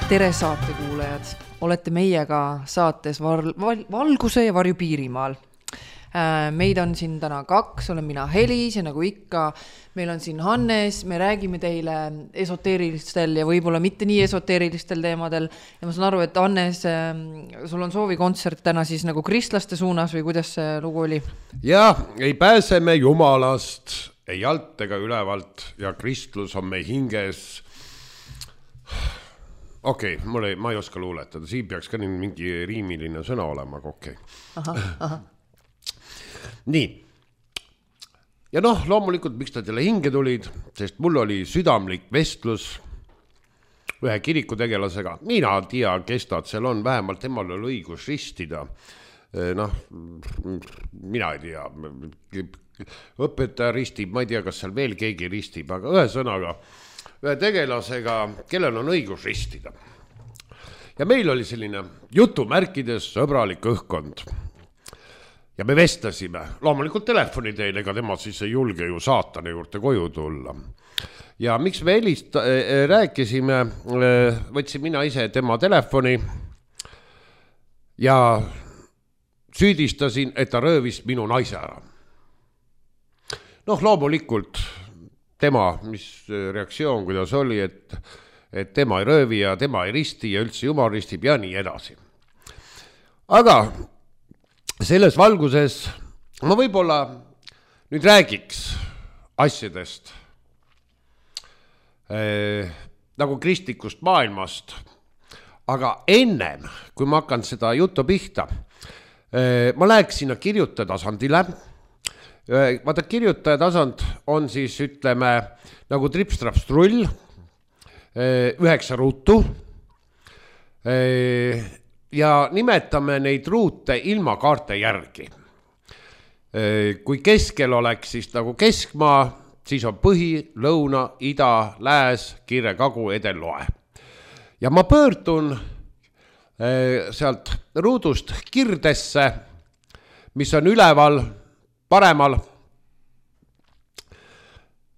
Tere saatekuulajad, olete meiega saates Valguse ja varju Piirimaal. Meid on siin täna 2, olen mina Helis ja nagu ikka, meil on siin Hannes, me räägime teile esoteerilistel ja võib-olla mitte nii esoteerilistel teemadel. Ja ma saan aru, et Hannes, sul on soovikontsert täna siis nagu kristlaste suunas või kuidas see lugu oli? Ja, ei pääse me Jumalast, ei alt ega ülevalt ja kristlus on me hinges. Okei, ma ei oska luuletada, siin peaks ka mingi riimiline sõna olema, aga okei. Aha. Nii. Ja loomulikult, miks ta teile hinge tulid, sest mul oli südamlik vestlus ühe kirikutegelasega. Mina tea, kes ta seal on, vähemalt temal oli õigus ristida. Mina ei tea, õpetaja ristib, ma ei tea, kas seal veel keegi ristib, aga ühe sõnaga ühe tegelasega, kellel on õigus ristida. Ja meil oli selline jutumärkides sõbralik õhkkond. Ja me vestasime, loomulikult telefoni teile, ega tema siis ei julge ju saatane juurde koju tulla. Ja miks me rääkisime, võtsin mina ise tema telefoni ja süüdistasin, et ta röövis minu naise ära. Loomulikult tema, mis reaktsioon, kuidas oli, et tema ei röövi ja tema ei risti ja üldse Jumal ristib ja nii edasi. Aga selles valguses ma võib-olla nüüd räägiks asjadest nagu kristlikust maailmast, aga ennem, kui ma hakkan seda juttu pihta, ma läheks sinna kirjutaja tasandile. Vaata, kirjutaja tasand on siis, ütleme, nagu tripstrapstrull, 9 ruutu ja nimetame neid ruute ilma kaarte järgi. Kui keskel oleks siis nagu keskmaa, siis on põhi, lõuna, ida, lääs, kirre, kagu, edel, loe. Ja ma pöördun sealt ruudust kirdesse, mis on üleval, paremal.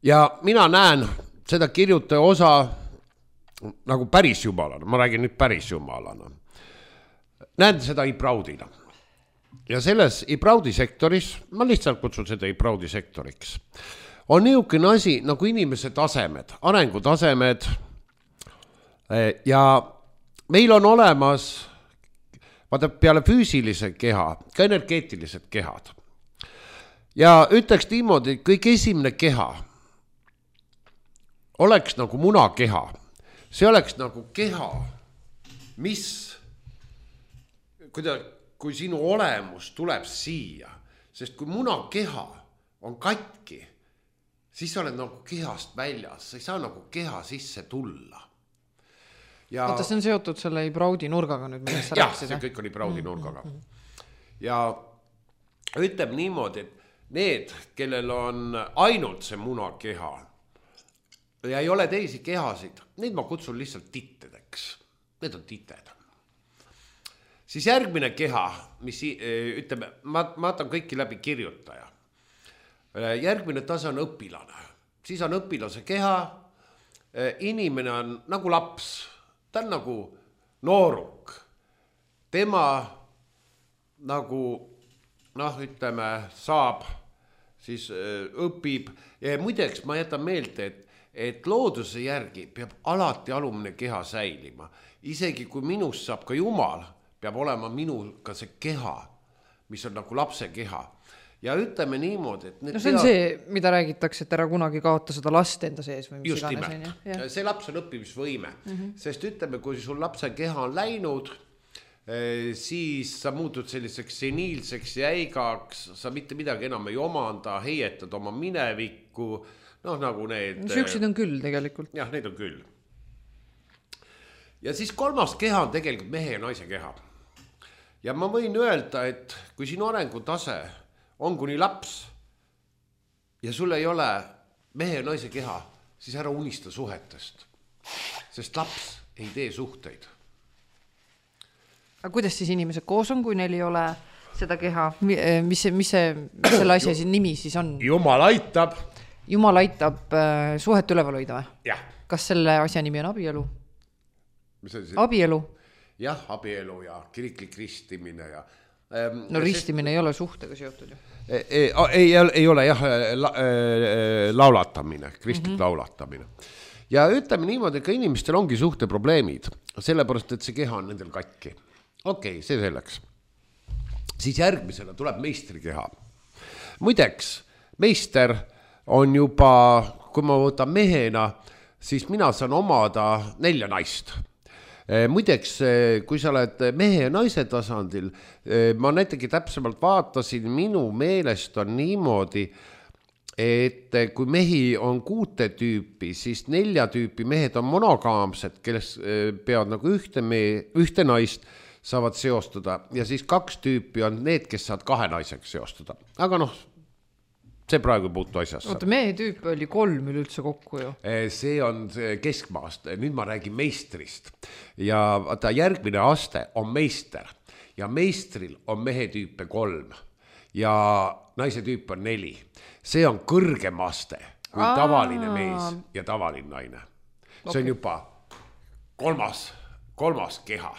Ja mina näen seda kirjutaja osa nagu päris jumalana. Ma räägin nüüd päris jumalana. Näen seda ibraudina. Ja selles ibraudi sektoris, ma lihtsalt kutsun seda ibraudi sektoriks, on niisugune asi nagu inimese tasemed, arengutasemed ja meil on olemas vaata peale füüsilise keha, ka energeetilised kehad. Ja ütleks niimoodi, et kõik esimene keha oleks nagu munakeha. See oleks nagu keha, mis, kui sinu olemus tuleb siia, sest kui munakeha on katki, siis sa oled nagu kehast väljas, sa ei saa nagu keha sisse tulla. Oota, see on seotud selle ibraudi nurgaga nüüd, millest sa rääkisid? Jah, see kõik on ibraudi nurgaga. Ja ütleb niimoodi, et need, kellel on ainult see munakeha ja ei ole teisi kehasid, neid ma kutsun lihtsalt tittedeks. Need on tited. Siis järgmine keha, mis ütleme, ma vaatan kõiki läbi kirjutaja. Järgmine tase on õpilane. Siis on õpilase keha. Inimene on nagu laps. Ta on nagu nooruk. Tema nagu ütleme, saab, siis õpib. Ja muideks ma jätan meelde, et looduse järgi peab alati alumne keha säilima. Isegi kui minust saab ka Jumal, peab olema minul ka see keha, mis on nagu lapse keha. Ja ütleme niimoodi, et see on see, mida räägitakse, et ära kunagi kaota seda last enda sees või mis just iganes. Nimelt. See laps on õppimisvõime. Sest ütleme, kui sul lapse keha on läinud, siis sa muutud selliseks seniilseks ja äigaks, sa mitte midagi enam ei omanda, heietad oma minevikku, nagu need. Süksid on küll tegelikult. Jah, need on küll. Ja siis kolmas keha on tegelikult mehe ja naise keha. Ja ma võin öelda, et kui sinu arengutase on kuni laps ja sul ei ole mehe ja naise keha, siis ära unista suhetest, sest laps ei tee suhteid. Aga kuidas siis inimesed koos on, kui neil ei ole seda keha? Mis selle asja nimi siis on? Jumal aitab. Jumal aitab suhet üleval hoida või? Jah. Kas selle asja nimi on abielu? Abielu? Jah, abielu ja kiriklik ristimine ja no ristimine ei ole suhtega seotud ju. Ei ole jah, laulatamine, kristlik laulatamine. Ja ütleme niimoodi, ka inimestel ongi suhteprobleemid, sellepärast, et see keha on nendel katki. Okei, see selleks. Siis järgmisena tuleb meistrikeha. Muideks, meister on juba, kui ma võtan mehena, siis mina saan omada 4 naist. Muideks, kui sa oled mehe ja naise tasandil, ma näitegi täpsemalt vaatasin, minu meelest on niimoodi, et kui mehi on 6 tüüpi, siis 4 tüüpi mehed on monogaamsed, kelles peavad nagu ühte naist saavad seostada ja siis 2 tüüpi on need, kes saavad 2 naiseks seostada. Aga noh, see praegu puutu asjasse. Oota, mehe tüüp oli 3 üleüldse kokku ju. See on keskmaast, nüüd ma räägin meistrist ja vaata, järgmine aste on meister ja meistril on mehe tüüpe 3 ja naise tüüp on 4. See on kõrgem aste kui tavaline mees ja tavaline naine. See on juba kolmas keha.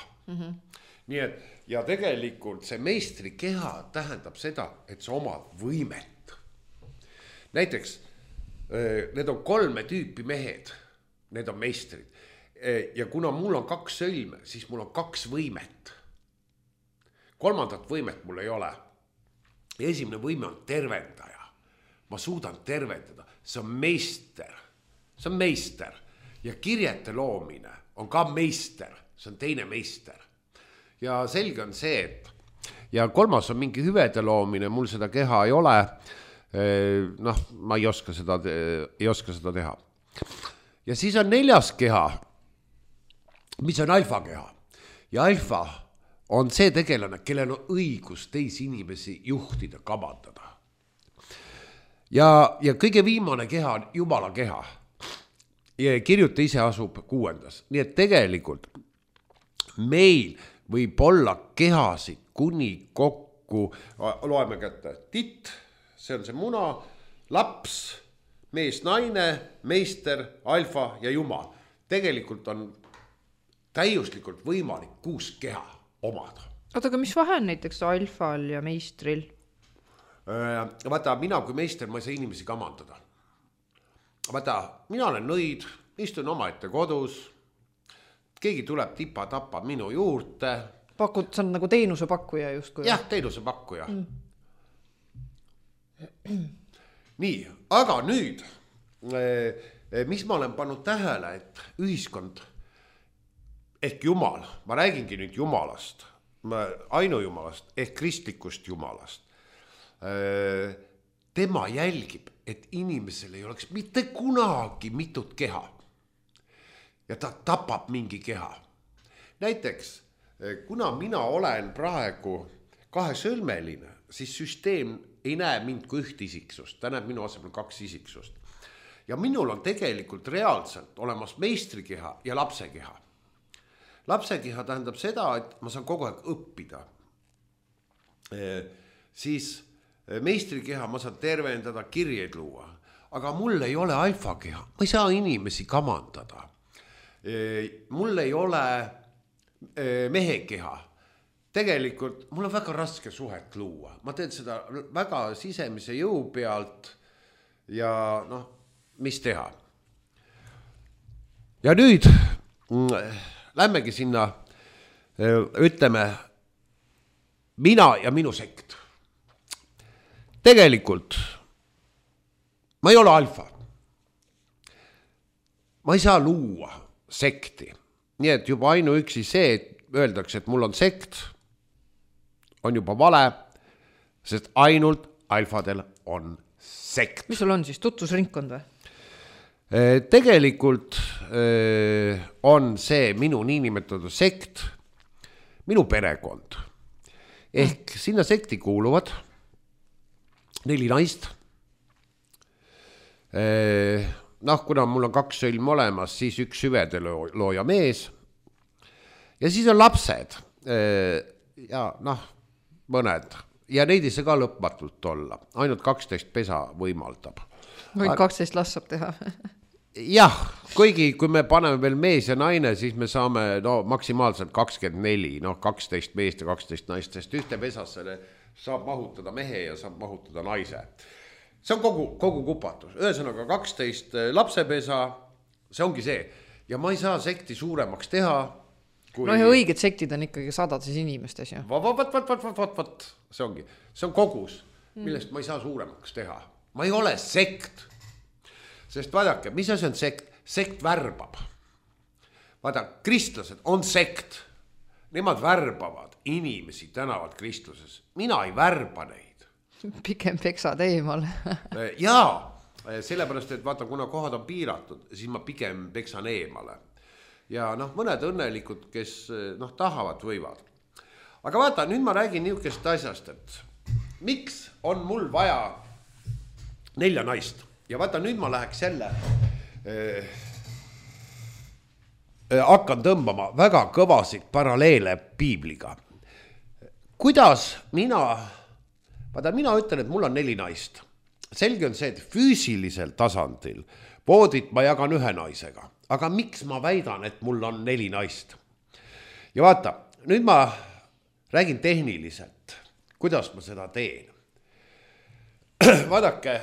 Nii et, ja tegelikult see meistri keha tähendab seda, et sa omad võimet. Näiteks, need on 3 tüüpi mehed, need on meistrid. Ja kuna mul on 2 sõlme, siis mul on 2 võimet. 3. võimet mul ei ole. Esimene võime on tervendaja. Ma suudan tervendada. See on meister. See on meister. Ja kirjete loomine on ka meister. See on teine meister. Ja selge on see, et ja 3. on mingi hüvede loomine, mul seda keha ei ole. Noh, ma ei oska seda teha. Ja siis on 4. keha, mis on alfa keha. Ja alfa on see tegelane, kellel on õigus teisi inimesi juhtida, kamandada. Ja kõige viimane keha on Jumala keha. Ja kirjuta ise asub 6. Nii et tegelikult meil võib olla kehasid kuni kokku, loeme kätte, titt, see on see muna, laps, mees, naine, meister, alfa ja jumal. Tegelikult on täiuslikult võimalik 6 keha omada. Oota, aga mis vahe on näiteks alfal ja meistril? Vaata, mina kui meister, ma ei saa inimesi kamandada. Vaata, mina olen nõid, istun omaette kodus, keegi tuleb tipa-tapa minu juurde. Pakud, see on nagu teenusepakkuja justkui? Jah, teenusepakkuja. Nii, aga nüüd, mis ma olen pannud tähele, et ühiskond ehk Jumal, ma räägingi nüüd Jumalast, ainujumalast ehk kristlikust Jumalast. Tema jälgib, et inimesel ei oleks mitte kunagi mitut keha. Ja ta tapab mingi keha. Näiteks, kuna mina olen praegu 2-sõlmeline, siis süsteem ei näe mind kui 1 isiksust. Ta näeb minu asemel 2 isiksust. Ja minul on tegelikult reaalselt olemas meistrikeha ja lapsekeha. Lapsekeha tähendab seda, et ma saan kogu aeg õppida. Siis meistrikeha ma saan tervendada, kirjeid luua. Aga mul ei ole alfakeha. Ma ei saa inimesi kamandada. Mul ei ole mehekeha. Tegelikult mul on väga raske suhet luua. Ma teen seda väga sisemise jõu pealt ja noh, mis teha. Ja nüüd lähmegi sinna, ütleme, mina ja minu sekt. Tegelikult ma ei ole alfa. Ma ei saa luua sekti. Nii et juba ainuüksi see, et öeldakse, et mul on sekt, on juba vale, sest ainult alfadel on sekt. Mis sul on siis, tutvusringkond või? Tegelikult on see minu niinimetatud sekt, minu perekond. Ehk sinna sekti kuuluvad 4 naist. Noh, kuna mul on 2 sõlm olemas, siis 1 süvede looja mees. Ja siis on lapsed. Ja noh, mõned. Ja neid ei saa ka lõpmatult olla. Ainult 12 pesa võimaldab. Või 12 last saab teha. jah, kuigi kui me paneme veel mees ja naine, siis me saame maksimaalselt 24, 12 meest ja 12 naist, sest ühte pesasse saab mahutada mehe ja saab mahutada naise. See on kogu kupatus. Ühesõnaga 12 lapsepesa, see ongi see. Ja ma ei saa sekti suuremaks teha. No ja õiged sektid on ikkagi sadades inimestes. Ja. Vat. See ongi. See on kogus, millest ma ei saa suuremaks teha. Ma ei ole sekt. Sest vaadake, mis asi on sekt? Sekt värbab. Vaada, kristlased on sekt. Nemad värbavad inimesi tänavalt kristluses. Mina ei värba neid. Pigem peksad eemal. Jaa, sellepärast, et vaata, kuna kohad on piiratud, siis ma pigem peksan eemale. Ja mõned õnnelikud, kes tahavad, võivad. Aga vaata, nüüd ma räägin niisugust asjast, et miks on mul vaja 4 naist? Ja vaata, nüüd ma läheks jälle hakkan tõmbama väga kõvasid paralleele piibliga. Kuidas mina ütlen, et mul on 4 naist. Selge on see, et füüsilisel tasandil voodit ma jagan 1 naisega. Aga miks ma väidan, et mul on 4 naist? Ja vaata, nüüd ma räägin tehniliselt, kuidas ma seda teen. Vaadake,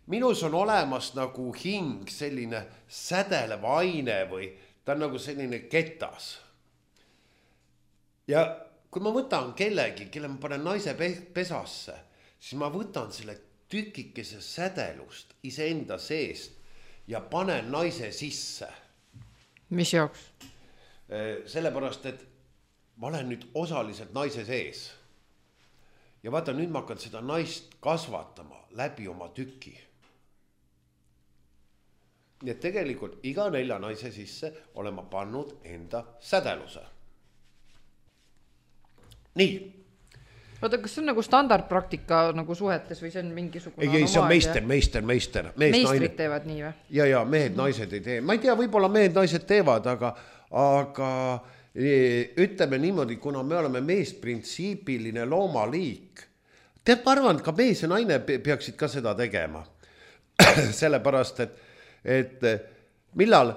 minus on olemas nagu hing selline sädelev aine või ta on nagu selline ketas. Ja kui ma võtan kellegi, kelle ma panen naise pesasse, siis ma võtan selle tükikese sädelust iseenda seest ja panen naise sisse. Mis jaoks? Sellepärast, et ma olen nüüd osaliselt naise sees. Ja vaata, nüüd ma hakkan seda naist kasvatama läbi oma tüki. Nii et tegelikult iga 4 naise sisse olen ma pannud enda sädeluse. Nii. Oota, kas see on nagu standardpraktika nagu suhetes või see on mingisugune ei, see on meister. Meistrid teevad nii või? Ja mehed, naised ei tee. Ma ei tea, võib-olla mehed, naised teevad, aga ütleme niimoodi, kuna me oleme meesprintsiipiline loomaliik. Tead, ma arvan, et ka mees ja naine peaksid ka seda tegema. Sellepärast, et millal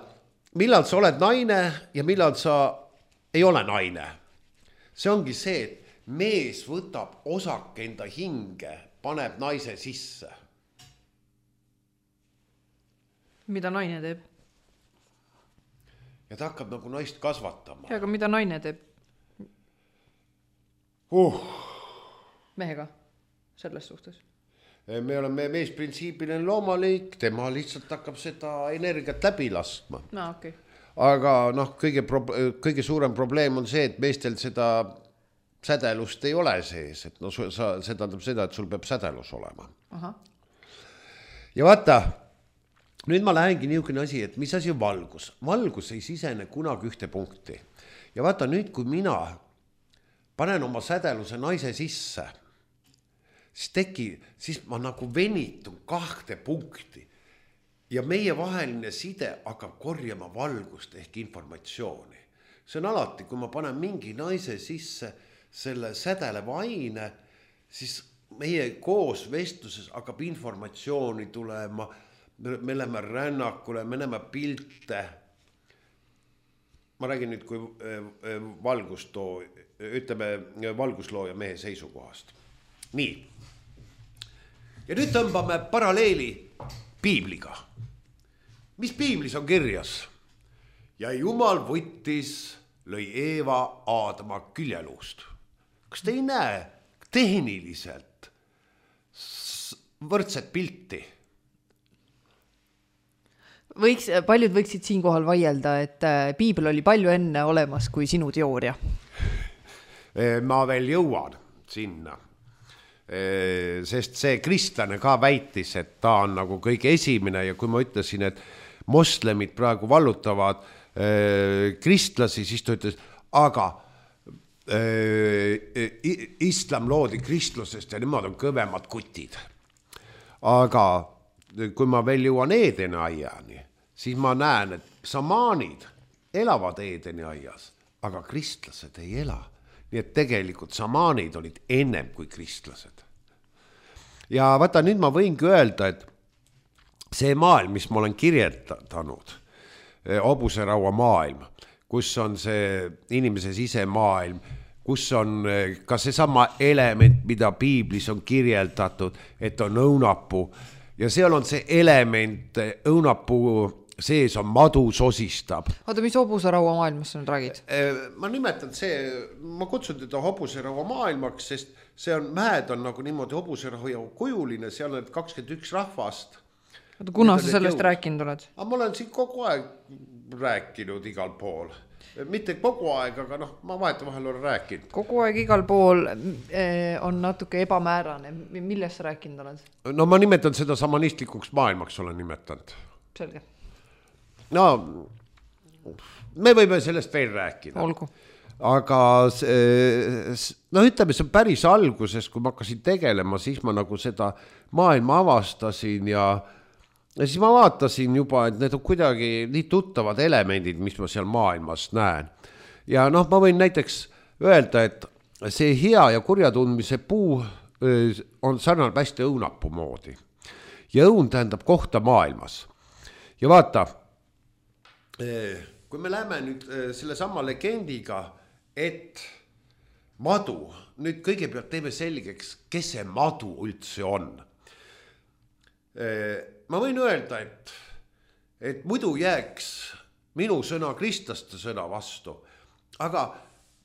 sa oled naine ja millal sa ei ole naine. See ongi see, et mees võtab osake enda hinge, paneb naise sisse. Mida naine teeb? Ja ta hakkab nagu naist kasvatama. Ja, aga mida naine teeb? Mehega selles suhtes? Me oleme meesprintsiipiline loomaliik, tema lihtsalt hakkab seda energiat läbi laskma. No, okei. Aga kõige suurem probleem on see, et meestel seda sädelust ei ole sees, et see tähendab seda, et sul peab sädelus olema. Aha. Ja vaata, nüüd ma lähengi niisugune asi, et mis asi on valgus. Valgus ei sisene kunagi ühte punkti. Ja vaata nüüd, kui mina panen oma sädeluse naise sisse, siis ma nagu venitun 2 punkti. Ja meie vaheline side hakkab korjama valgust ehk informatsiooni. See on alati, kui ma panen mingi naise sisse selle sädeleva aine, siis meie koos vestluses hakkab informatsiooni tulema, me läheme rännakule, me näeme pilte. Ma räägin nüüd kui valguslooja mehe seisukohast. Nii. Ja nüüd tõmbame paralleeli piibliga. Mis piiblis on kirjas? Ja Jumal võttis, lõi Eeva Aadama küljeluust. Kas te ei näe tehniliselt võrdset pilti? Paljud võiksid siinkohal vaielda, et piibel oli palju enne olemas kui sinu teooria. Ma veel jõuan sinna. Sest see kristlane ka väitis, et ta on nagu kõige esimene ja kui ma ütlesin, et moslemid praegu vallutavad kristlasi, siis ta ütles, aga islam loodi kristlusest ja nemad on kõvemad kutid. Aga kui ma veel jõuan Eedeni aiani, siis ma näen, et samaanid elavad Eedeni aias, aga kristlased ei ela. Nii et tegelikult samaanid olid ennem kui kristlased. Ja vaata, nüüd ma võingi öelda, see maailm, mis ma olen kirjeldanud, hobuseraua maailm, kus on see inimese sisemaailm, kus on ka seesama element, mida piiblis on kirjeldatud, et on õunapuu ja seal on see element, õunapuu sees on madu sosistab. Oota, mis hobuseraua maailmas sa nüüd räägid? Ma nimetan ma kutsun teda hobuseraua maailmaks, sest see on, mäed on nagu niimoodi hobuseraua kujuline, seal on 21 rahvast. Oota, kuna sa sellest rääkinud oled? Ma olen siin kogu aeg rääkinud igal pool. Mitte kogu aeg, aga ma vahetevahel olen rääkinud. Kogu aeg igal pool on natuke ebamäärane. Millest sa rääkinud oled? No ma nimetan seda samanistlikuks maailmaks olen nimetanud. Selge. No, me võime sellest veel rääkida. Olgu. Aga ütleme, see on päris alguses, kui ma hakkasin tegelema, siis ma nagu seda maailma avastasin ja siis ma vaatasin juba, et need on kuidagi nii tuttavad elemendid, mis ma seal maailmas näen. Ja ma võin näiteks öelda, et see hea ja kurja tundmise puu on sarnal hästi õunapuu moodi. Ja õun tähendab kohta maailmas. Ja vaata, kui me läheme nüüd selle sama legendiga, et madu, nüüd kõigepealt teeme selgeks, kes see madu üldse on. Ma võin öelda, et muidu jääks minu sõna kristlaste sõna vastu, aga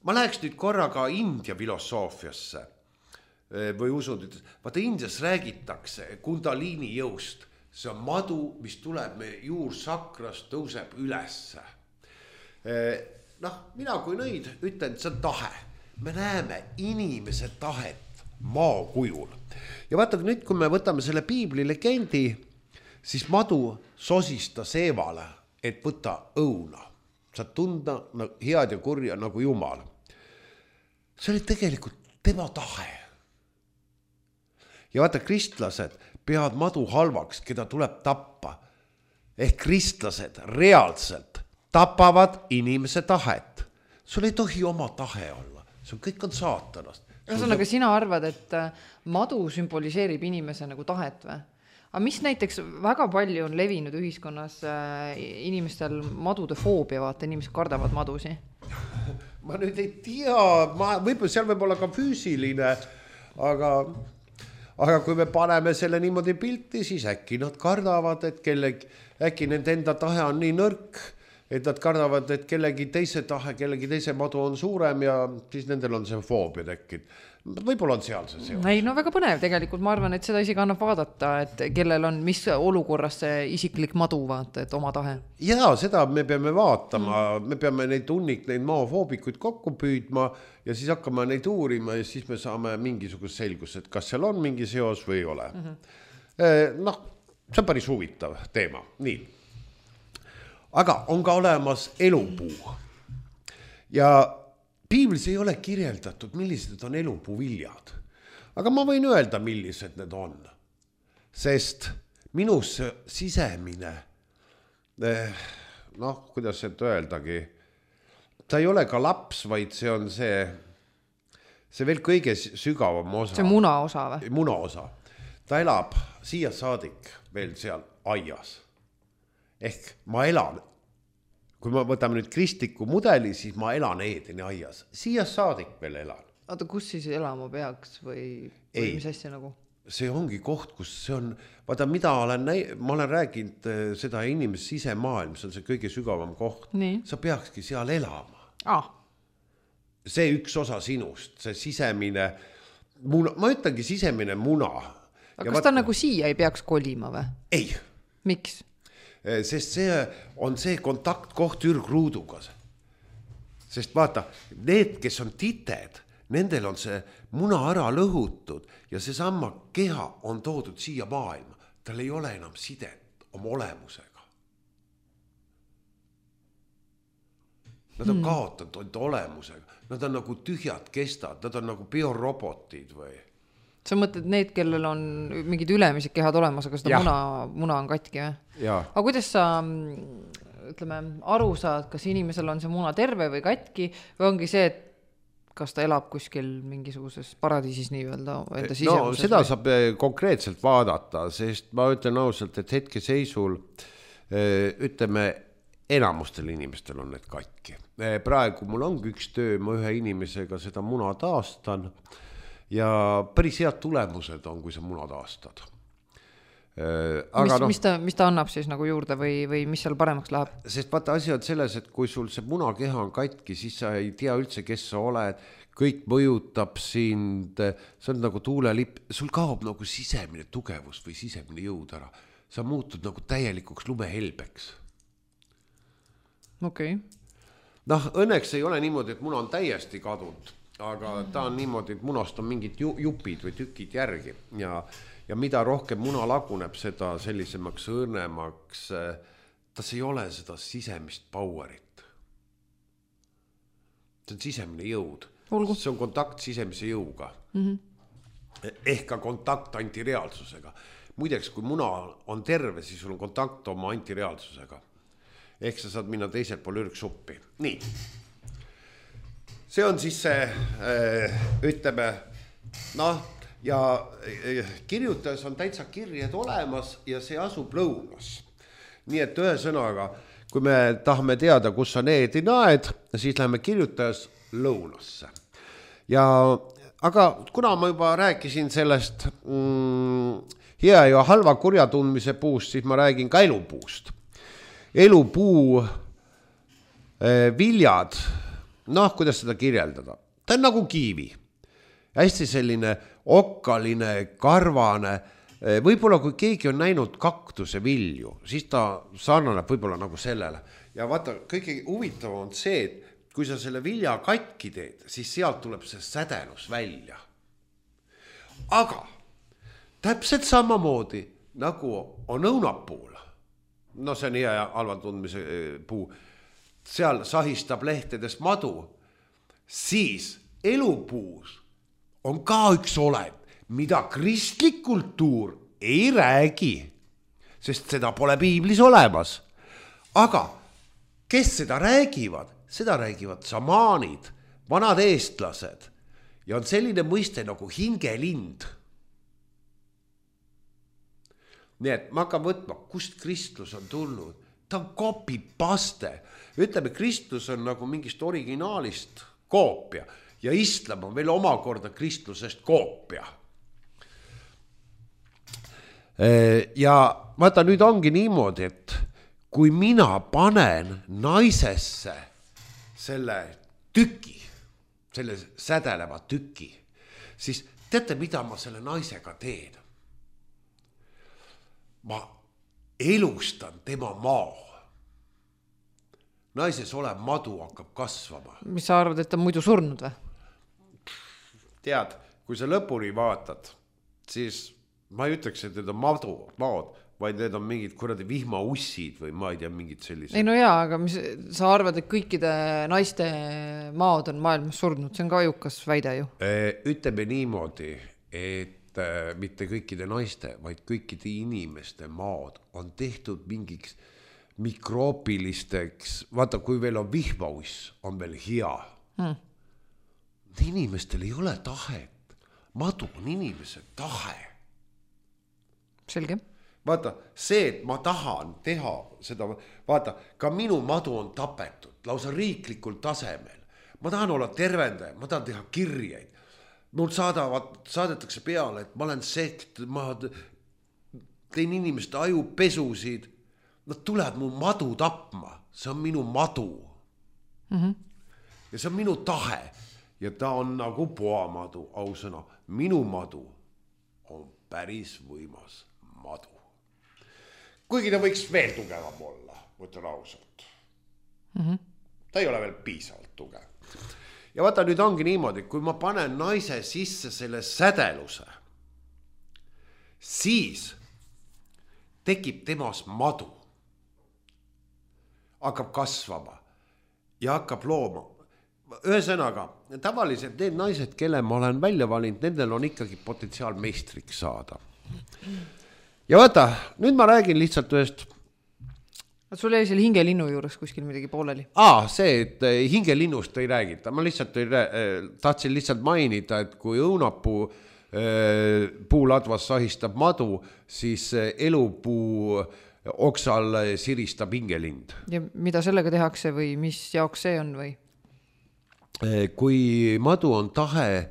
ma läheks nüüd korraga India filosoofiasse või usun, et vaata Indias räägitakse kundaliini jõust. See on madu, mis tuleb meie juursakrast, tõuseb ülesse. Mina kui nõid ütlen, et see on tahe. Me näeme inimese tahet maa kujul. Ja vaata nüüd, kui me võtame selle piibli legendi, siis madu sosistas Eevale, et võta õuna. Saad tunda head ja kurja nagu Jumal. See oli tegelikult tema tahe. Ja vaata, kristlased peavad madu halvaks, keda tuleb tappa. Ehk kristlased reaalselt tapavad inimese tahet. Sul ei tohi oma tahe olla. See kõik on saatanast. Ühesõnaga, sina arvad, et madu sümboliseerib inimese nagu tahet või? Aga mis näiteks väga palju on levinud ühiskonnas inimestel madude foobia, vaata, inimesed kardavad madusi? Ma nüüd ei tea, võib-olla seal võib olla ka füüsiline, aga kui me paneme selle niimoodi pilti, siis äkki nad kardavad, et äkki nende enda tahe on nii nõrk, et nad kardavad, et kellegi teise tahe, kellegi teise madu on suurem ja siis nendel on see foobia tekkinud. Võib-olla on seal see seos. Ei, no väga põnev tegelikult, ma arvan, et seda isegi annab vaadata, et kellel on mis olukorras see isiklik madu, vaata, et oma tahe. Jaa, seda me peame vaatama, me peame neid maafoobikuid kokku püüdma ja siis hakkame neid uurima ja siis me saame mingisugust selgust, et kas seal on mingi seos või ei ole. See on päris huvitav teema. Nii. Aga on ka olemas elupuu. Ja piiblis ei ole kirjeldatud, millised on elupuu viljad. Aga ma võin öelda, millised need on. Sest minus sisemine, kuidas seda öeldagi, ta ei ole ka laps, vaid see on see veel kõige sügavam osa. See muna osa või? Muna osa. Ta elab siia saadik veel seal aias. Ehk ma elan, kui ma võtame nüüd kristliku mudeli, siis ma elan Eedeni aias. Siia saadik veel elan. Oota, kus siis elama peaks või mis asja nagu? See ongi koht, kus see on, vaata mida ma olen rääkinud seda inimest sisemaailm, see on see kõige sügavam koht. Nii. Sa peakski seal elama. See üks osa sinust, see sisemine muna, ma ütlengi sisemine muna. Aga kas ta nagu siia ei peaks kolima või? Ei. Miks? Sest see on see kontaktkoht ürgruuduga. Sest vaata, need, kes on tited, nendel on see muna ära lõhutud ja see sama keha on toodud siia maailma. Tal ei ole enam sidet oma olemusega. Nad on kaotanud olemusega. Nad on nagu tühjad kestad, nad on nagu biorobotid või? Sa mõtled need, kellel on mingid ülemised kehad olemas, aga seda muna on katki või? Aga kuidas sa, ütleme, aru saad, kas inimesel on see muna terve või katki või ongi see, et kas ta elab kuskil mingisuguses paradiisis nii-öelda enda No sisemuses seda või? saab konkreetselt vaadata, sest ma ütlen ausalt, et hetkeseisul ütleme, enamustel inimestel on need katki. Praegu mul ongi üks töö, ma ühe inimesega seda muna taastan ja päris head tulemused on, kui sa muna taastad. Aga mis ta annab siis nagu juurde või mis seal paremaks läheb? Sest vaata, asi on selles, et kui sul see munakeha on katki, siis sa ei tea üldse, kes sa oled, kõik mõjutab sind, see on nagu tuulelipp, sul kaob nagu sisemine tugevus või sisemine jõud ära. Sa muutud nagu täielikuks lumehelbeks. Okei. Noh, õnneks ei ole niimoodi, et muna on täiesti kadunud, aga ta on niimoodi, et munast on mingid jupid või tükid järgi ja mida rohkem muna laguneb, seda sellisemaks õrnemaks, tas ei ole seda sisemist powerit. See on sisemine jõud. Olgu. See on kontakt sisemise jõuga. Ehk ka kontakt antireaalsusega. Muideks, kui muna on terve, siis sul on kontakt oma antireaalsusega. Ehk sa saad minna teiselt pool ürgsuppi. Nii. See on siis see, ütleme, noh, ja kirjutajas on täitsa kirjed olemas ja see asub lõunas. Nii et ühe sõnaga, kui me tahame teada, kus on need ja naed, siis läheme kirjutajas lõunasse. Aga kuna ma juba rääkisin sellest hea ja halva kurja tundmise puust, siis ma räägin ka elupuust. Elupuu viljad, noh, kuidas seda kirjeldada? Ta on nagu kiivi. Hästi selline okkaline, karvane. Võib-olla kui keegi on näinud kaktuse vilju, siis ta sarnaneb võib-olla nagu sellele. Ja vaata, kõige huvitav on see, et kui sa selle vilja katki teed, siis sealt tuleb see sädelus välja. Aga täpselt samamoodi, nagu on õunapuul, no see on hea ja halva tundmise puu, seal sahistab lehtedest madu, siis elupuus on ka üks olend, mida kristlik kultuur ei räägi, sest seda pole piiblis olemas. Aga kes seda räägivad? Seda räägivad samaanid, vanad eestlased ja on selline mõiste nagu hingelind. Nii et ma hakkan võtma, kust kristlus on tulnud. Ta on copy-paste. Ütleme, kristlus on nagu mingist originaalist koopia ja islam on veel omakorda kristlusest koopia. Ja vaata, nüüd ongi niimoodi, et kui mina panen naisesse selle tüki, selle sädeleva tüki, siis teate, mida ma selle naisega teen? Ma elustan tema mao. Naises olev madu hakkab kasvama. Mis sa arvad, et ta muidu surnud või? Tead, kui sa lõpuni vaatad, siis ma ei ütleks, et need on maod, vaid need on mingid kuradi vihmaussid või ma ei tea, mingid sellised. Ei no jaa, aga mis sa arvad, et kõikide naiste maod on maailmas surnud? See on ka ajukas väide ju. Ütleme niimoodi, et mitte kõikide naiste, vaid kõikide inimeste maod on tehtud mingiks mikroopilisteks, vaata, kui veel on vihmauss, on veel hea. Inimestel ei ole tahet. Madu on inimese tahe. Selge. Vaata, see, et ma tahan teha seda, vaata, ka minu madu on tapetud, lausa riiklikul tasemel. Ma tahan olla tervendaja, ma tahan teha kirjeid. Mul saadetakse peale, et ma olen sekt, ma teen inimeste ajupesusid. Nad tulevad mu madu tapma, see on minu madu. Ja see on minu tahe. Ja ta on nagu poamadu, ausõna. Minu madu on päris võimas madu. Kuigi ta võiks veel tugevam olla, võtan ausalt. Ta ei ole veel piisavalt tugev. Ja vaata, nüüd ongi niimoodi, kui ma panen naise sisse selle sädeluse, siis tekib temas madu. Hakkab kasvama ja hakkab looma. Ühesõnaga, tavaliselt need naised, kelle ma olen välja valinud, nendel on ikkagi potentsiaal meistriks saada. Ja vaata, nüüd ma räägin lihtsalt ühest Sul jäi selle hingelinnu juures kuskil midagi pooleli? See, et hingelinnust ei räägita. Ma lihtsalt tahtsin lihtsalt mainida, et kui õunapuu puuladvas sahistab madu, siis elupuu oksal siristab hingelind. Ja mida sellega tehakse või mis jaoks see on või? Kui madu on tahe,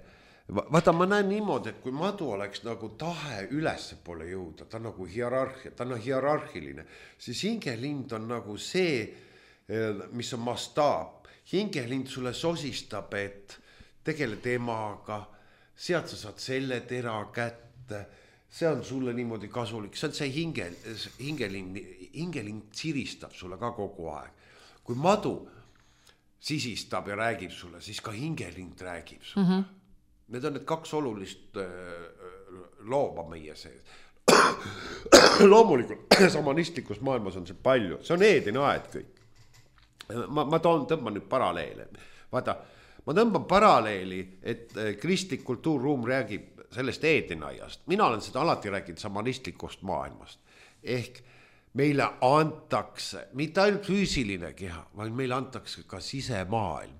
vaata ma näen niimoodi, et kui madu oleks nagu tahe ülesse poole jõuda, ta on nagu hierarhia, ta on hierarhiline, siis hingelind on nagu see, mis on mastaab. Hingelind sulle sosistab, et tegele temaga, sealt sa saad selle tera kätte, see on sulle niimoodi kasulik, see on see hingelind siristab sulle ka kogu aeg. Kui madu sisistab ja räägib sulle, siis ka hingelind räägib sulle. Need on need kaks olulist looba meie sees. Loomulikult samanistlikus maailmas on see palju, see on Eedeni aed kõik. Ma tõmban nüüd paralleele. Vaata, ma tõmban paralleeli, et kristlik kultuurruum räägib sellest Eedeni aiast. Mina olen seda alati rääkinud samanistlikust maailmast. Ehk meile antakse, mitte ainult füüsiline keha, vaid meile antakse ka sisemaailm.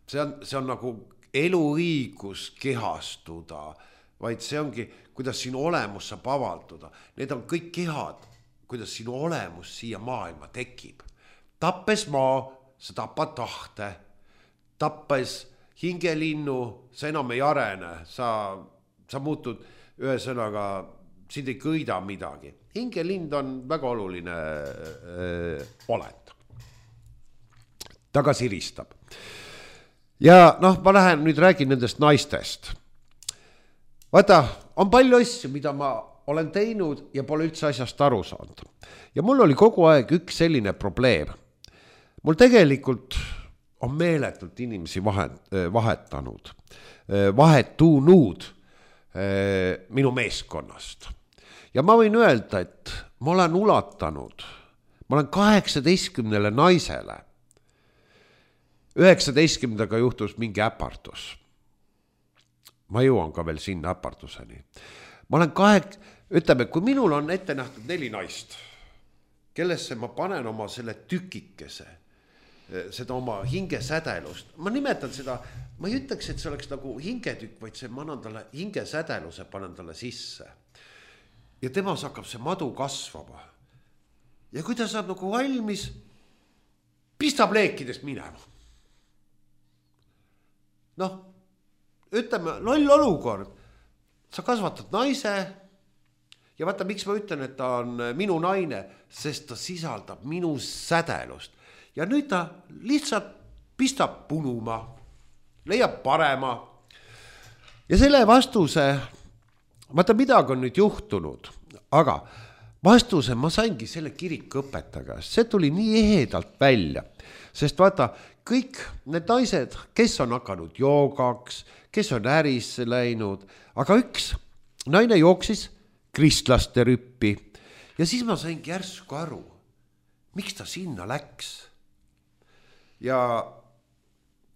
See on nagu eluõigus kehastuda, vaid see ongi, kuidas sinu olemus saab avalduda. Need on kõik kehad, kuidas sinu olemus siia maailma tekib. Tappes maa, sa tapad tahte. Tappes hingelinnu, sa enam ei arene. Sa muutud ühesõnaga, sind ei kõida midagi. Hingelind on väga oluline olend. Ta ka siristab. Ja ma lähen nüüd räägin nendest naistest. Vaata, on palju asju, mida ma olen teinud ja pole üldse asjast aru saanud. Ja mul oli kogu aeg üks selline probleem. Mul tegelikult on meeletult inimesi vahetunud minu meeskonnast. Ja ma võin öelda, et ma olen ulatanud, ma olen 18 naisele. 19 juhtus mingi äpartus. Ma jõuan ka veel sinna äpartuseni. Ma olen ütleme, kui minul on ette nähtud 4 naist, kellesse ma panen oma selle tükikese, seda oma hingesädelust. Ma nimetan seda, ma ei ütleks, et see oleks nagu hingetükk, vaid see ma annan talle hingesädeluse, panen talle sisse. Ja temas hakkab see madu kasvama. Ja kui ta saab nagu valmis, pistab leekidest minema. Ütleme, loll olukord. Sa kasvatad naise ja vaata, miks ma ütlen, et ta on minu naine, sest ta sisaldab minu sädelust. Ja nüüd ta lihtsalt pistab punuma, leiab parema. Ja selle vastuse, vaata midagi on nüüd juhtunud, aga vastuse ma saingi selle kirikuõpetaja. See tuli nii ehedalt välja, sest vaata, kõik need naised, kes on hakanud joogaks, kes on ärisse läinud, aga üks naine jooksis kristlaste rüppi ja siis ma saingi järsku aru, miks ta sinna läks. Ja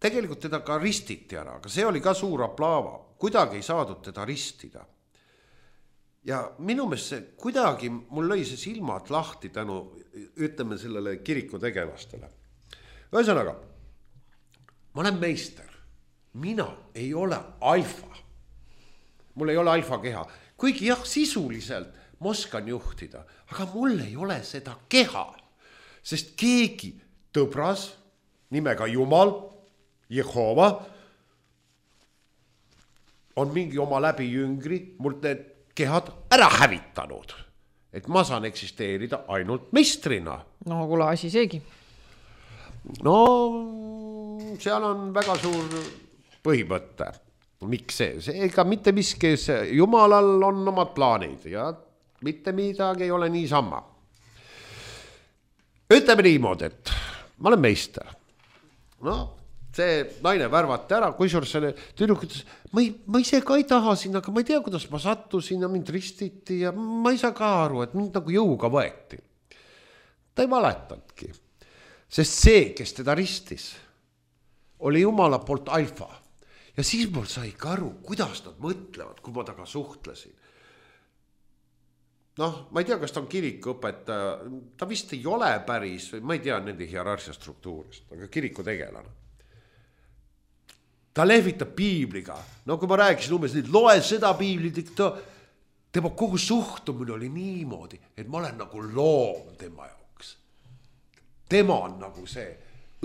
tegelikult teda ka ristiti ära, aga see oli ka suur aplaava, kuidagi ei saadud teda ristida. Ja minu meelest see kuidagi, mul lõi see silmad lahti tänu, ütleme sellele kiriku tegelastele. Ühesõnaga, ma olen meister, mina ei ole alfa, mul ei ole alfa keha, kuigi jah, sisuliselt ma oskan juhtida, aga mul ei ole seda keha, sest keegi tõbras nimega Jumal, Jehova, on mingi oma läbi jüngri, mul need kehad ära hävitanud, et ma saan eksisteerida ainult meistrina. No kuule, asi seegi. No seal on väga suur põhimõte. Miks see? Ega mitte miski, Jumalal on omad plaanid ja mitte midagi ei ole niisama. Ütleme niimoodi, et ma olen meister. See naine värvati ära, kusjuures selle tüdruk ütles, ma ise ka ei taha sinna, aga ma ei tea, kuidas ma sattusin ja mind ristiti ja ma ei saa ka aru, et mind nagu jõuga võeti. Ta ei valetanudki, sest see, kes teda ristis, oli Jumala poolt alfa. Ja siis mul sai ka aru, kuidas nad mõtlevad, kui ma taga suhtlesin. noh, ma ei tea, kas ta on kirikuõpetaja, ta vist ei ole päris, ma ei tea nende hierarhia struktuurist, aga kirikutegelane. Ta lehvitab piibliga, no kui ma rääkisin umbes nüüd, loe seda piiblit, tema kogu suhtumine oli niimoodi, et ma olen nagu loom tema jaoks. Tema on nagu see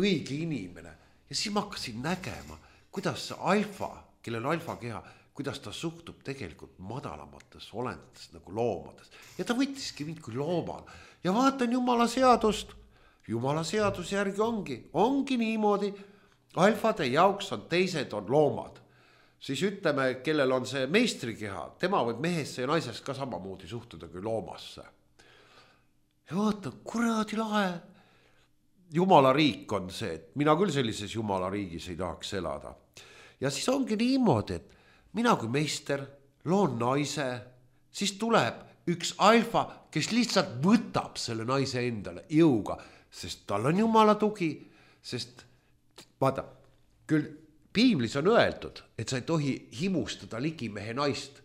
õige inimene ja siis ma hakkasin nägema, kuidas see alfa, kellel on alfa keha, kuidas ta suhtub tegelikult madalamates olendates nagu loomades. Ja ta võttiski mind kui loomal. Ja vaatan Jumala seadust. Jumala seaduse järgi ongi niimoodi. Alfade jaoks on teised on loomad. Siis ütleme, kellel on see meistrikeha, tema võib mehesse ja naisest ka samamoodi suhtuda kui loomasse. Ja vaatan, kuradi lahe. Jumala riik on see, et mina küll sellises Jumala riigis ei tahaks elada. Ja siis ongi niimoodi, et mina kui meister loon naise, siis tuleb üks alfa, kes lihtsalt võtab selle naise endale jõuga, sest tal on Jumala tugi, sest vaata, küll piiblis on öeldud, et sa ei tohi himustada ligimehe naist,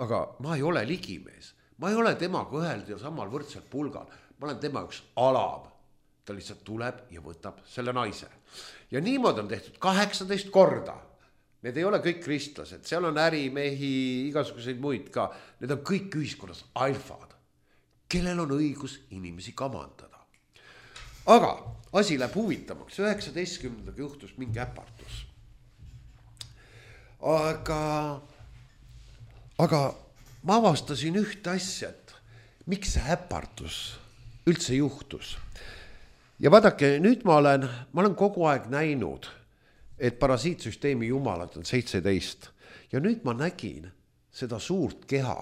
aga ma ei ole ligimees, ma ei ole temaga ühel ja samal võrdselt pulgal, ma olen tema üks alam, ta lihtsalt tuleb ja võtab selle naise. Ja niimoodi on tehtud 18 korda. Need ei ole kõik kristlased, seal on ärimehi, igasuguseid muid ka. Need on kõik ühiskonnas alfad, kellel on õigus inimesi kamandada. Aga asi läheb huvitavaks. 19. juhtus mingi äpartus. Aga ma avastasin ühte asja, et miks see äpartus üldse juhtus. Ja vaadake, nüüd ma olen kogu aeg näinud, et parasiitsüsteemi jumalad on 17. Ja nüüd ma nägin seda suurt keha,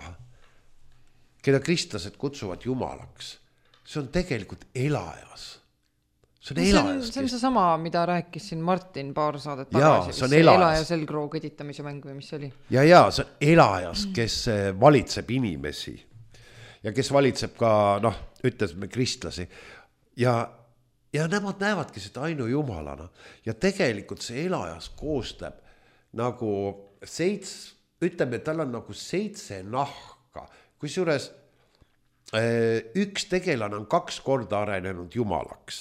keda kristlased kutsuvad jumalaks. See on tegelikult elajas. See on elajas. See on see sama, mida rääkis siin Martin paar saadet tagasi. See on elajas. Elaja selgroo kõditamise mäng või mis see oli? Ja see on elajas, kes valitseb inimesi. Ja kes valitseb ka, ütlesime kristlasi. Ja nemad näevadki seda ainu jumalana. Ja tegelikult see elajas koostab nagu ütleme, tal on nagu 7 nahka. Kusjuures üks tegelane on 2 korda arenenud jumalaks.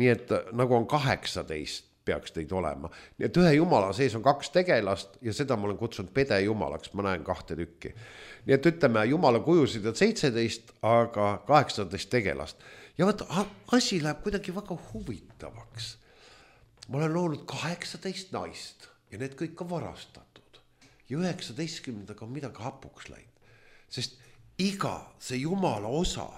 Nii et nagu on 18 peaks teid olema. Nii et ühe jumala sees on 2 tegelast ja seda ma olen kutsunud pede jumalaks, ma näen 2 tükki. Nii et ütleme, jumala kujusid on 17, aga 18 tegelast. Ja vaata, asi läheb kuidagi väga huvitavaks. Ma olen loonud 18 naist ja need kõik on varastatud. Ja 19. on midagi hapuks läinud. Sest iga see jumala osa,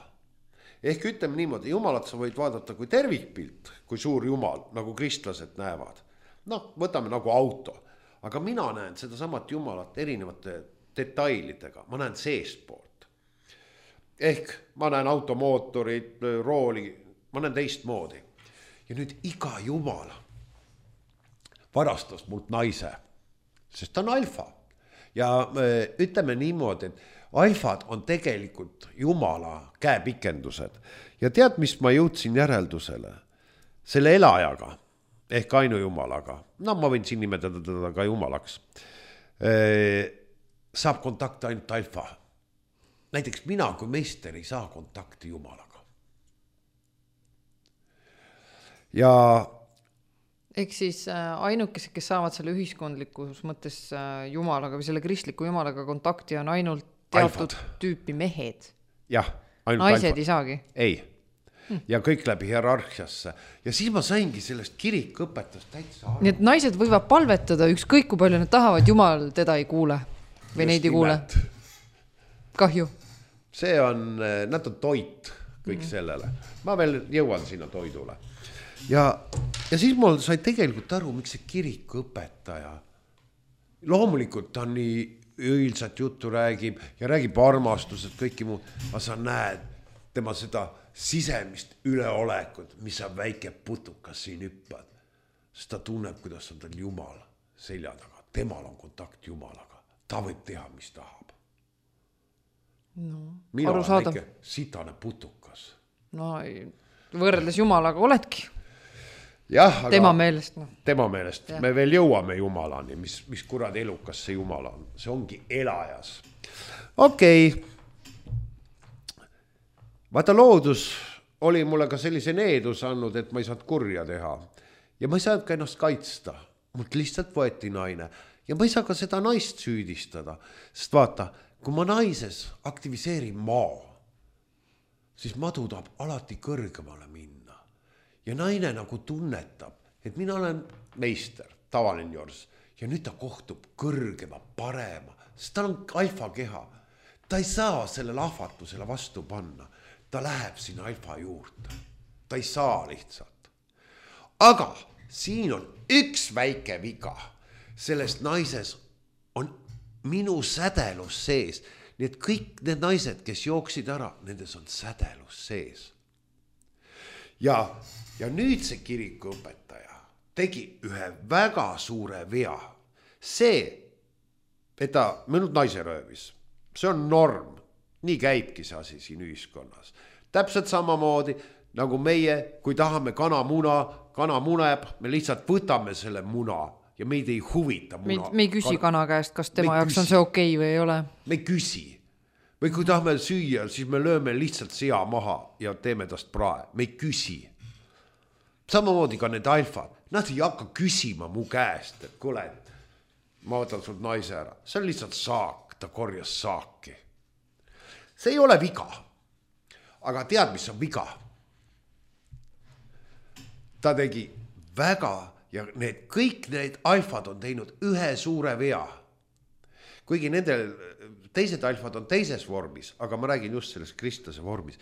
ehk ütleme niimoodi, jumalat sa võid vaadata kui tervikpilt, kui suur jumal, nagu kristlased näevad. Võtame nagu auto, aga mina näen seda samat jumalat erinevate detailidega, ma näen seestpoolt. Ehk ma näen automootorit, rooli, ma näen teist moodi. Ja nüüd iga jumal varastas mult naise, sest ta on alfa. Ja ütleme niimoodi, et alfad on tegelikult jumala käepikendused. Ja tead, mis ma jõudsin järeldusele? Selle elajaga, ehk ainu jumalaga, ma võin siin nimetada teda ka jumalaks, saab kontakti ainult alfa. Näiteks mina kui meister ei saa kontakti jumalaga. Ja ehk siis ainukesed, kes saavad selle ühiskondlikus mõttes jumalaga või selle kristliku jumalaga kontakti on ainult teatud tüüpi mehed. Jah, ainult naised alfad. Ei saagi? Ei. Ja kõik läbi hierarhiasse. Ja siis ma saingi sellest kirikõpetust täitsa aru. Nii et naised võivad palvetada ükskõik kui palju nad tahavad, jumal teda ei kuule või neid ei kuule. Kahju. See on, nad on toit kõik sellele. Ma veel jõuan sinna toidule. Ja siis mul sai tegelikult aru, miks see kirikuõpetaja. Loomulikult ta nii õilsat juttu räägib ja räägib armastused, kõiki muud. Aga sa näed tema seda sisemist üleolekut, mis on väike putukas siin hüppad. Sest ta tunneb, kuidas on tal jumal selja taga. Temal on kontakt jumalaga. Ta võib teha, mis tahab. Mina olen väike sitane putukas. Võrreldes jumalaga oledki. Jah, aga tema meelest. Tema meelest. Me veel jõuame jumalani, mis kurad elukas see jumal on. See ongi elajas. Okei. vaata, loodus oli mulle ka sellise needus andnud, et ma ei saanud kurja teha. Ja ma ei saanud ka ennast kaitsta. Mult lihtsalt võeti naine. Ja ma ei saa ka seda naist süüdistada. Sest vaata, kui ma naises aktiviseerin maa, siis madu tahab alati kõrgemale minna. Ja naine nagu tunnetab, et mina olen meister, tavaline jors. Ja nüüd ta kohtub kõrgema, parema, sest ta on alfa keha. Ta ei saa sellele ahvatusele vastu panna. Ta läheb sinna alfa juurde. Ta ei saa lihtsalt. Aga siin on üks väike viga. Selles naises on minu sädelus sees. Nii et kõik need naised, kes jooksid ära, nendes on sädelus sees. Ja nüüd see kirikuõpetaja tegi ühe väga suure vea. See, et ta mõnud naise röövis, see on norm. Nii käibki see asi siin ühiskonnas. Täpselt samamoodi nagu meie, kui tahame kana muneb, me lihtsalt võtame selle muna ja meid ei huvita muna. Me ei küsi kana käest, kas tema jaoks on see okei või ei ole. Me ei küsi. Või kui tahame süüa, siis me lööme lihtsalt sea maha ja teeme tast prae. Me ei küsi. Samamoodi ka need alfad. Nad ei hakka küsima mu käest, et kuule, ma võtan sult naise ära. See on lihtsalt saak, ta korjas saaki. See ei ole viga. Aga tead, mis on viga? Ta tegi väga, ja kõik need alfad on teinud ühe suure vea. Kuigi nendel teised alfad on teises vormis, aga ma räägin just selles kristlase vormis.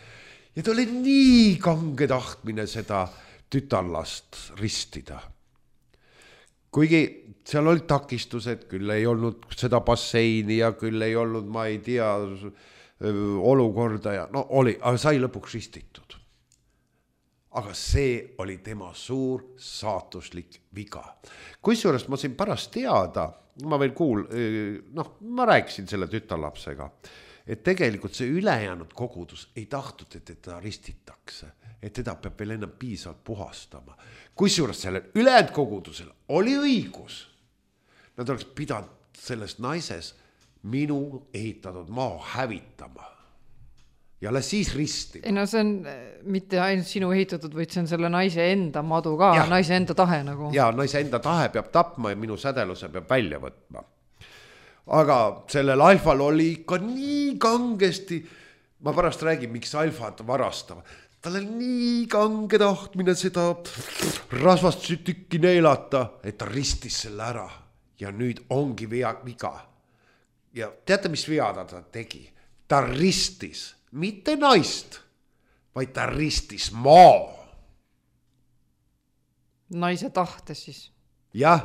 Ja ta oli nii kange tahtmine seda tütarlast ristida. Kuigi seal olid takistused, küll ei olnud seda basseini ja küll ei olnud, ma ei tea, olukorda ja no oli, aga sai lõpuks ristitud. Aga see oli tema suur saatuslik viga. Kusjuures ma siin pärast teada, ma veel ma rääkisin selle tütarlapsega, et tegelikult see ülejäänud kogudus ei tahtnud, et teda ristitakse, et teda peab veel enam piisavalt puhastama. Kusjuures sellel ülejäänud kogudusel oli õigus. Nad oleks pidanud selles naises minu ehitatud maa hävitama. Ja alles siis ristima. Ei no see on mitte ainult sinu ehitatud, vaid see on selle naise enda madu ka, ja. Naise enda tahe nagu. Ja naise enda tahe peab tapma ja minu sädeluse peab välja võtma. Aga sellel alfal oli ikka nii kangesti, ma pärast räägin, miks alfad varastavad. Tal oli nii kange tahtmine seda rasvast tükki neelata, et ta ristis selle ära. Ja nüüd ongi viga. Ja teate, mis vea ta tegi? Ta ristis mitte naist, vaid ta ristis maa. Naise tahte siis. Jah.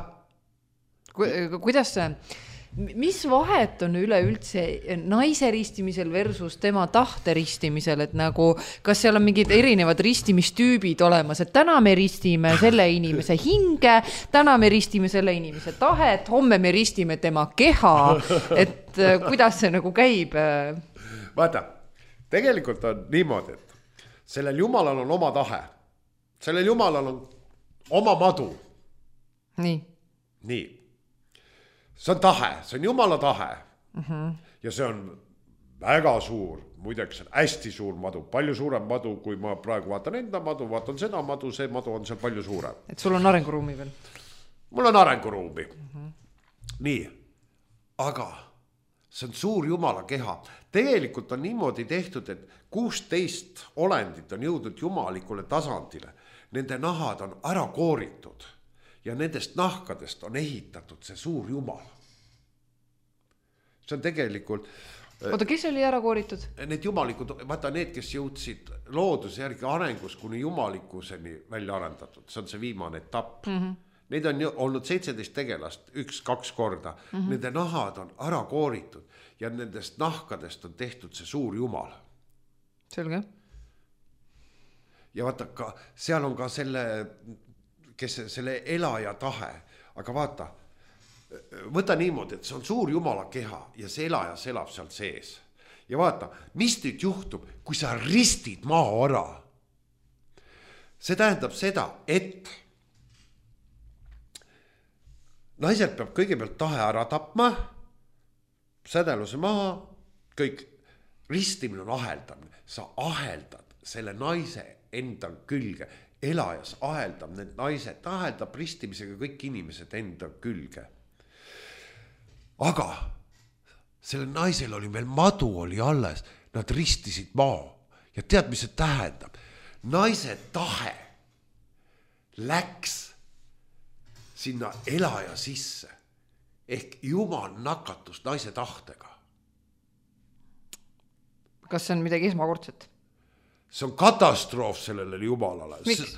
Kuidas see, mis vahet on üleüldse naise ristimisel versus tema tahte ristimisel, et nagu, kas seal on mingid erinevad ristimistüübid olemas, et täna me ristime selle inimese hinge, täna me ristime selle inimese tahet, homme me ristime tema keha, et kuidas see nagu käib? Vaata, tegelikult on niimoodi, et sellel jumalal on oma tahe, sellel jumalal on oma madu. Nii. See on tahe, see on jumala tahe. Ja see on väga suur, muideks hästi suur madu, palju suurem madu, kui ma praegu vaatan enda madu, vaatan seda madu, see madu on seal palju suurem. Et sul on arenguruumi veel? Mul on arenguruumi. Nii, aga see on suur jumala keha. Tegelikult on niimoodi tehtud, et 16 olendit on jõudnud jumalikule tasandile. Nende nahad on ära kooritud. Ja nendest nahkadest on ehitatud see suur jumal. See on tegelikult... Oota, kes oli ära kooritud? Need jumalikud, vaata need, kes jõudsid looduse järgi arengus kuni jumalikkuseni välja arendatud. See on see viimane etapp. Neid on olnud 17 tegelast, 1-2 korda. Nende nahad on ära kooritud ja nendest nahkadest on tehtud see suur jumal. Selge. Ja vaata, seal on ka selle elaja tahe, aga vaata, võta niimoodi, et see on suur jumala keha ja see elajas elab seal sees. Ja vaata, mis nüüd juhtub, kui sa ristid maa ära? See tähendab seda, et naisel peab kõigepealt tahe ära tapma, sädeluse maha, kõik ristimine on aheldamine, sa aheldad selle naise enda külge, elajas aheldab need naised, aheldab ristimisega kõik inimesed enda külge. Aga selle naisel oli veel madu oli alles, nad ristisid maa ja tead, mis see tähendab? Naise tahe läks sinna elaja sisse ehk Jumal nakatus naise tahtega. Kas see on midagi esmakordset? See on katastroof sellele Jumalale. Miks?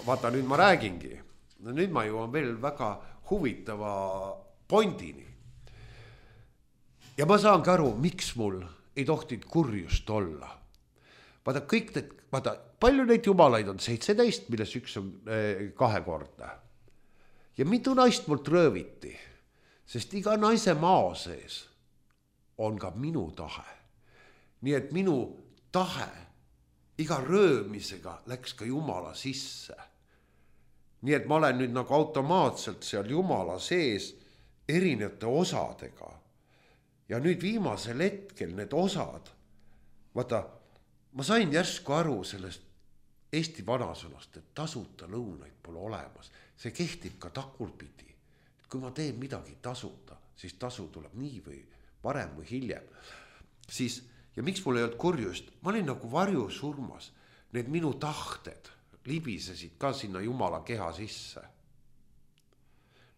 Vaata, nüüd ma räägingi. Nüüd ma jõuan veel väga huvitava pointini. Ja ma saangi aru, miks mul ei tohtid kurjust olla. Vaata, kõik need, palju neid jumalaid on? 17, milles üks on kahekordne. Ja mitu naist mult rööviti, sest iga naise maa sees on ka minu tahe. Nii et minu tahe iga röömisega läks ka Jumala sisse. Nii et ma olen nüüd nagu automaatselt seal Jumala sees erinevate osadega. Ja nüüd viimasel hetkel need osad, vaata, ma sain järsku aru sellest Eesti vanasõnast, et tasuta lõunaid pole olemas. See kehtib ka tagurpidi. Kui ma teen midagi tasuta, siis tasu tuleb nii või varem või hiljem. Siis, ja miks mul ei olnud kurjust? Ma olin nagu varjusurmas. Need minu tahted libisesid ka sinna Jumala keha sisse.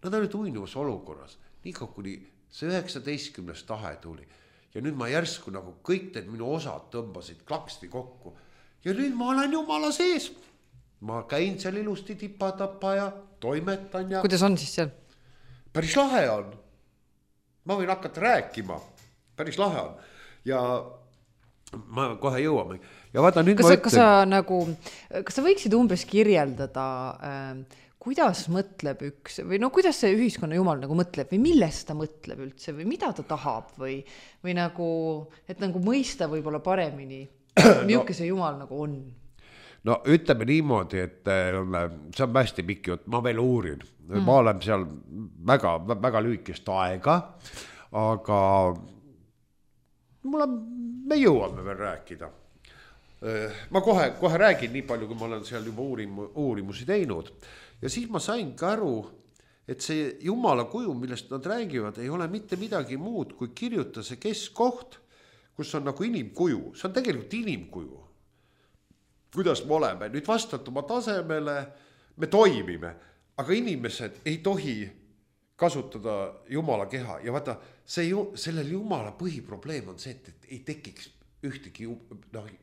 Nad olid uinuvas olukorras. Nii kuni see 19. tahe tuli. Ja nüüd ma järsku nagu kõik need minu osad tõmbasid klaksti kokku. Ja nüüd ma olen Jumala sees. Ma käin seal ilusti tipatapa ja toimetan ja... Kuidas on siis seal? Päris lahe on. Ma võin hakata rääkima. Päris lahe on. Ja ma kohe jõuame. Ja vaata, nüüd kas sa võiksid umbes kirjeldada, kuidas mõtleb üks, või no kuidas see ühiskonna Jumal nagu mõtleb või millest ta mõtleb üldse või mida ta tahab või nagu, et nagu mõista võib-olla paremini, milline see Jumal nagu on? No ütleme niimoodi, et see on hästi pikk jutt, ma veel uurin. Ma olen seal väga, väga lühikest aega, aga me jõuame veel rääkida. Ma kohe räägin nii palju, kui ma olen seal juba uurimusi teinud. Ja siis ma sain ka aru, et see Jumala kuju, millest nad räägivad, ei ole mitte midagi muud, kui kirjuta see keskkoht, kus on nagu inimkuju. See on tegelikult inimkuju. Kuidas me oleme? Nüüd vastat oma tasemele, me toimime, aga inimesed ei tohi kasutada Jumala keha. Ja vaata, sellel Jumala põhiprobleem on see, et ei tekiks ühtegi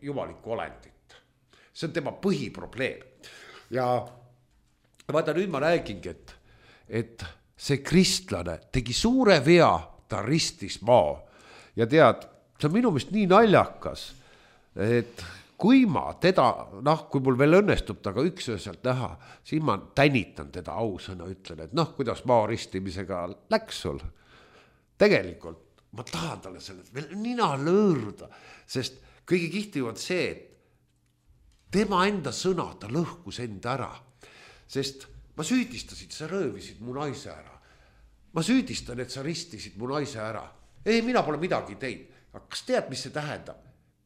jumalikku olendit. See on tema põhiprobleem. Ja vaata, nüüd ma räägingi, et see kristlane tegi suure vea, ta ristis maa. Ja tead, see on minu meelest nii naljakas, et kui ma teda, kui mul veel õnnestub taga üksööselt näha, siis ma tänitan teda ausõna, ütlen, et kuidas maa ristimisega läks sul. Tegelikult ma tahan talle sellest veel nina lõõruda, sest kõige kihtiv on see, et tema enda sõna, ta lõhkus enda ära. Sest ma süüdistasid, sa röövisid mu naise ära. Ma süüdistan, et sa ristisid mu naise ära. Ei, mina pole midagi teinud. Aga kas tead, mis see tähendab?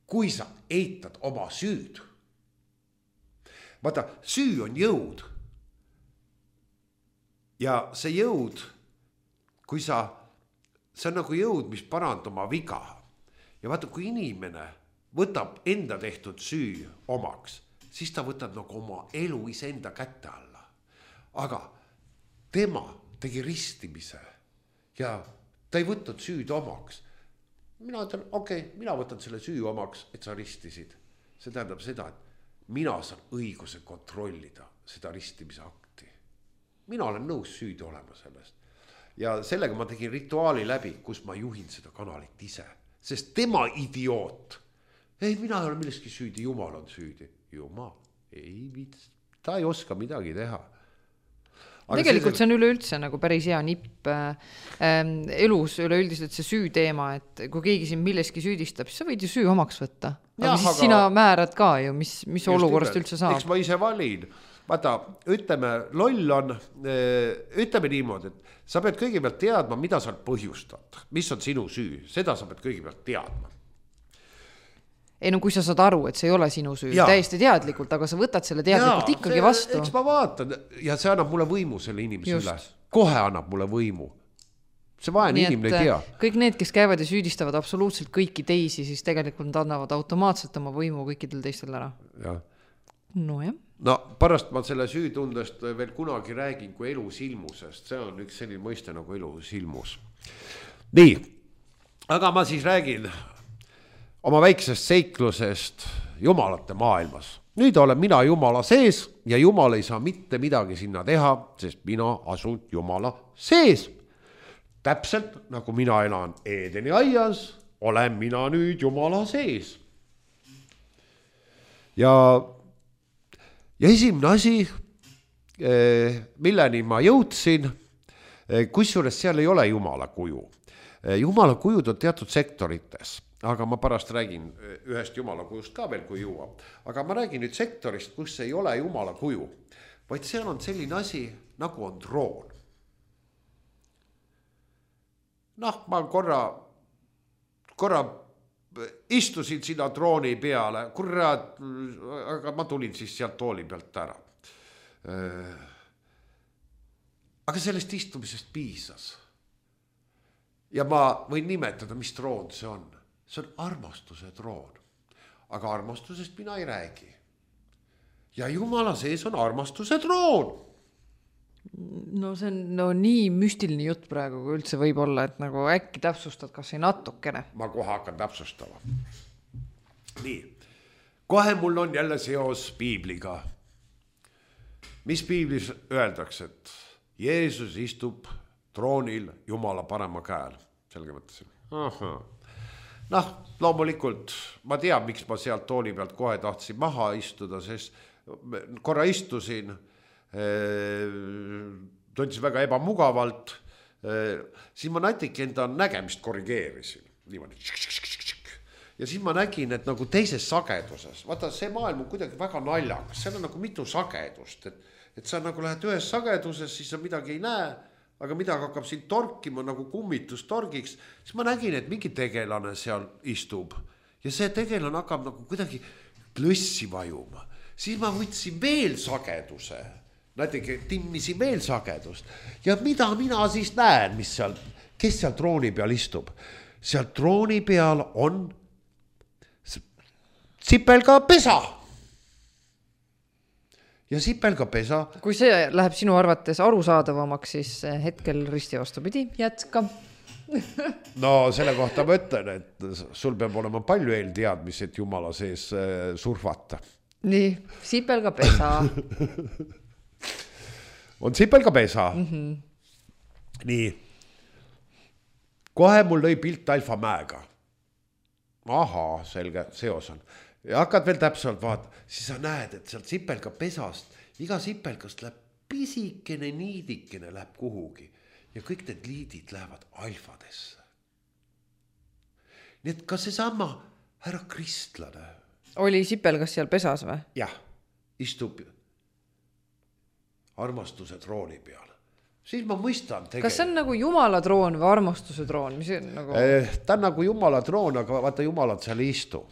Kui sa eitad oma süüd. Vaata, süü on jõud. Ja see jõud, kui see on nagu jõud, mis parandab oma viga. Ja vaata, kui inimene võtab enda tehtud süü omaks, siis ta võtab nagu oma elu iseenda kätte alla. Aga tema tegi ristimise ja ta ei võtnud süüd omaks. Mina ütlen, mina võtan selle süü omaks, et sa ristisid. See tähendab seda, et mina saan õiguse kontrollida seda ristimise akti. Mina olen nõus süüdi olema sellest. Ja sellega ma tegin rituaali läbi, kus ma juhin seda kanalit ise. Sest tema idioot. Ei, mina ei ole milleski süüdi, Jumal on süüdi. Jumal, ta ei oska midagi teha. Aga tegelikult see on üleüldse nagu päris hea nipp elus üleüldiselt see süü teema, et kui keegi siin milleski süüdistab, siis sa võid ju süü omaks võtta. Aga siis sina määrad ka ju, mis olukorrast üldse saab. Eks ma ise valin. Vaata, ütleme, loll on, ütleme niimoodi, et sa pead kõigepealt teadma, mida sa põhjustad. Mis on sinu süü, seda sa pead kõigepealt teadma. ei no kui sa saad aru, et see ei ole sinu süü, täiesti teadlikult, aga sa võtad selle teadlikult ikkagi vastu. Eks ma vaatan ja see annab mulle võimu selle inimese üle. Kohe annab mulle võimu. See vaene inimene ei tea. Kõik need, kes käivad ja süüdistavad absoluutselt kõiki teisi, siis tegelikult nad annavad automaatselt oma võimu kõikidel teistel ära. Ja. No jah. No pärast ma selle süütundest veel kunagi räägin kui elusilmusest. See on üks selline mõiste nagu elusilmus. Nii, aga ma siis räägin oma väiksest seiklusest jumalate maailmas. Nüüd olen mina Jumala sees ja Jumal ei saa mitte midagi sinna teha, sest mina asun Jumala sees. Täpselt nagu mina elan Eedeni aias, olen mina nüüd Jumala sees. Ja esimene asi, milleni ma jõudsin, kusjuures seal ei ole Jumala kuju. Jumala kujud on teatud sektorites. Aga ma pärast räägin ühest Jumala kujust ka veel, kui jõuab. Aga ma räägin nüüd sektorist, kus ei ole Jumala kuju, vaid seal on selline asi, nagu on troon. Noh, ma korra istusin sinna trooni peale, aga ma tulin siis sealt tooli pealt ära. Aga sellest istumisest piisas. Ja ma võin nimetada, mis troon see on. See on armastuse troon. Aga armastusest mina ei räägi. Ja Jumala sees on armastuse troon. No see on nii müstiline jutt praegu, kui üldse võib olla, et nagu äkki täpsustad, kas ei natukene. Ma kohe hakkan täpsustama. Nii, kohe mul on jälle seos piibliga. Mis piiblis öeldakse, et Jeesus istub troonil Jumala parema käel. Selge mõtlesin. Noh, loomulikult ma tean, miks ma sealt tooli pealt kohe tahtsin maha istuda, sest korra istusin, tundsin väga ebamugavalt, siis ma natuke enda nägemist korrigeerisin. Niimoodi. Ja siis ma nägin, et nagu teises sageduses, vaata see maailm on kuidagi väga naljakas, seal on nagu mitu sagedust, et sa nagu lähed ühes sageduses, siis sa midagi ei näe, aga midagi hakkab siin torkima nagu kummitus torgiks, siis ma nägin, et mingi tegelane seal istub ja see tegelane hakkab nagu kuidagi klõssi vajuma. Siis ma võtsin veel sageduse, natuke timmisin veel sagedust ja mida mina siis näen, kes seal trooni peal istub. Seal trooni peal on sipelga pesa. Ja sipelga pesa. Kui see läheb sinu arvates arusaadavamaks, siis hetkel risti vastupidi, jätka. No selle kohta ma ütlen, et sul peab olema palju eelteadmisi, et Jumala sees surfata. Nii, sipelga pesa. On sipelga pesa. Nii. Kohe mul lõi pilt Alfa mäega. Ahaa, selge, seos on. Ja hakkad veel täpselt vaata, siis sa näed, et sealt sipelga pesast, iga sipelgast läheb pisikene niidikene läheb kuhugi ja kõik need liidid lähevad alfadesse. Nii et ka see sama härra kristlane. Oli sipelgas seal pesas või? Jah, istub armastuse trooni peal. Siis ma mõistan tegelikult. Kas see on nagu Jumala troon või armastuse troon? Mis nagu... Ta on nagu Jumala troon, aga vaata Jumalat seal ei istu.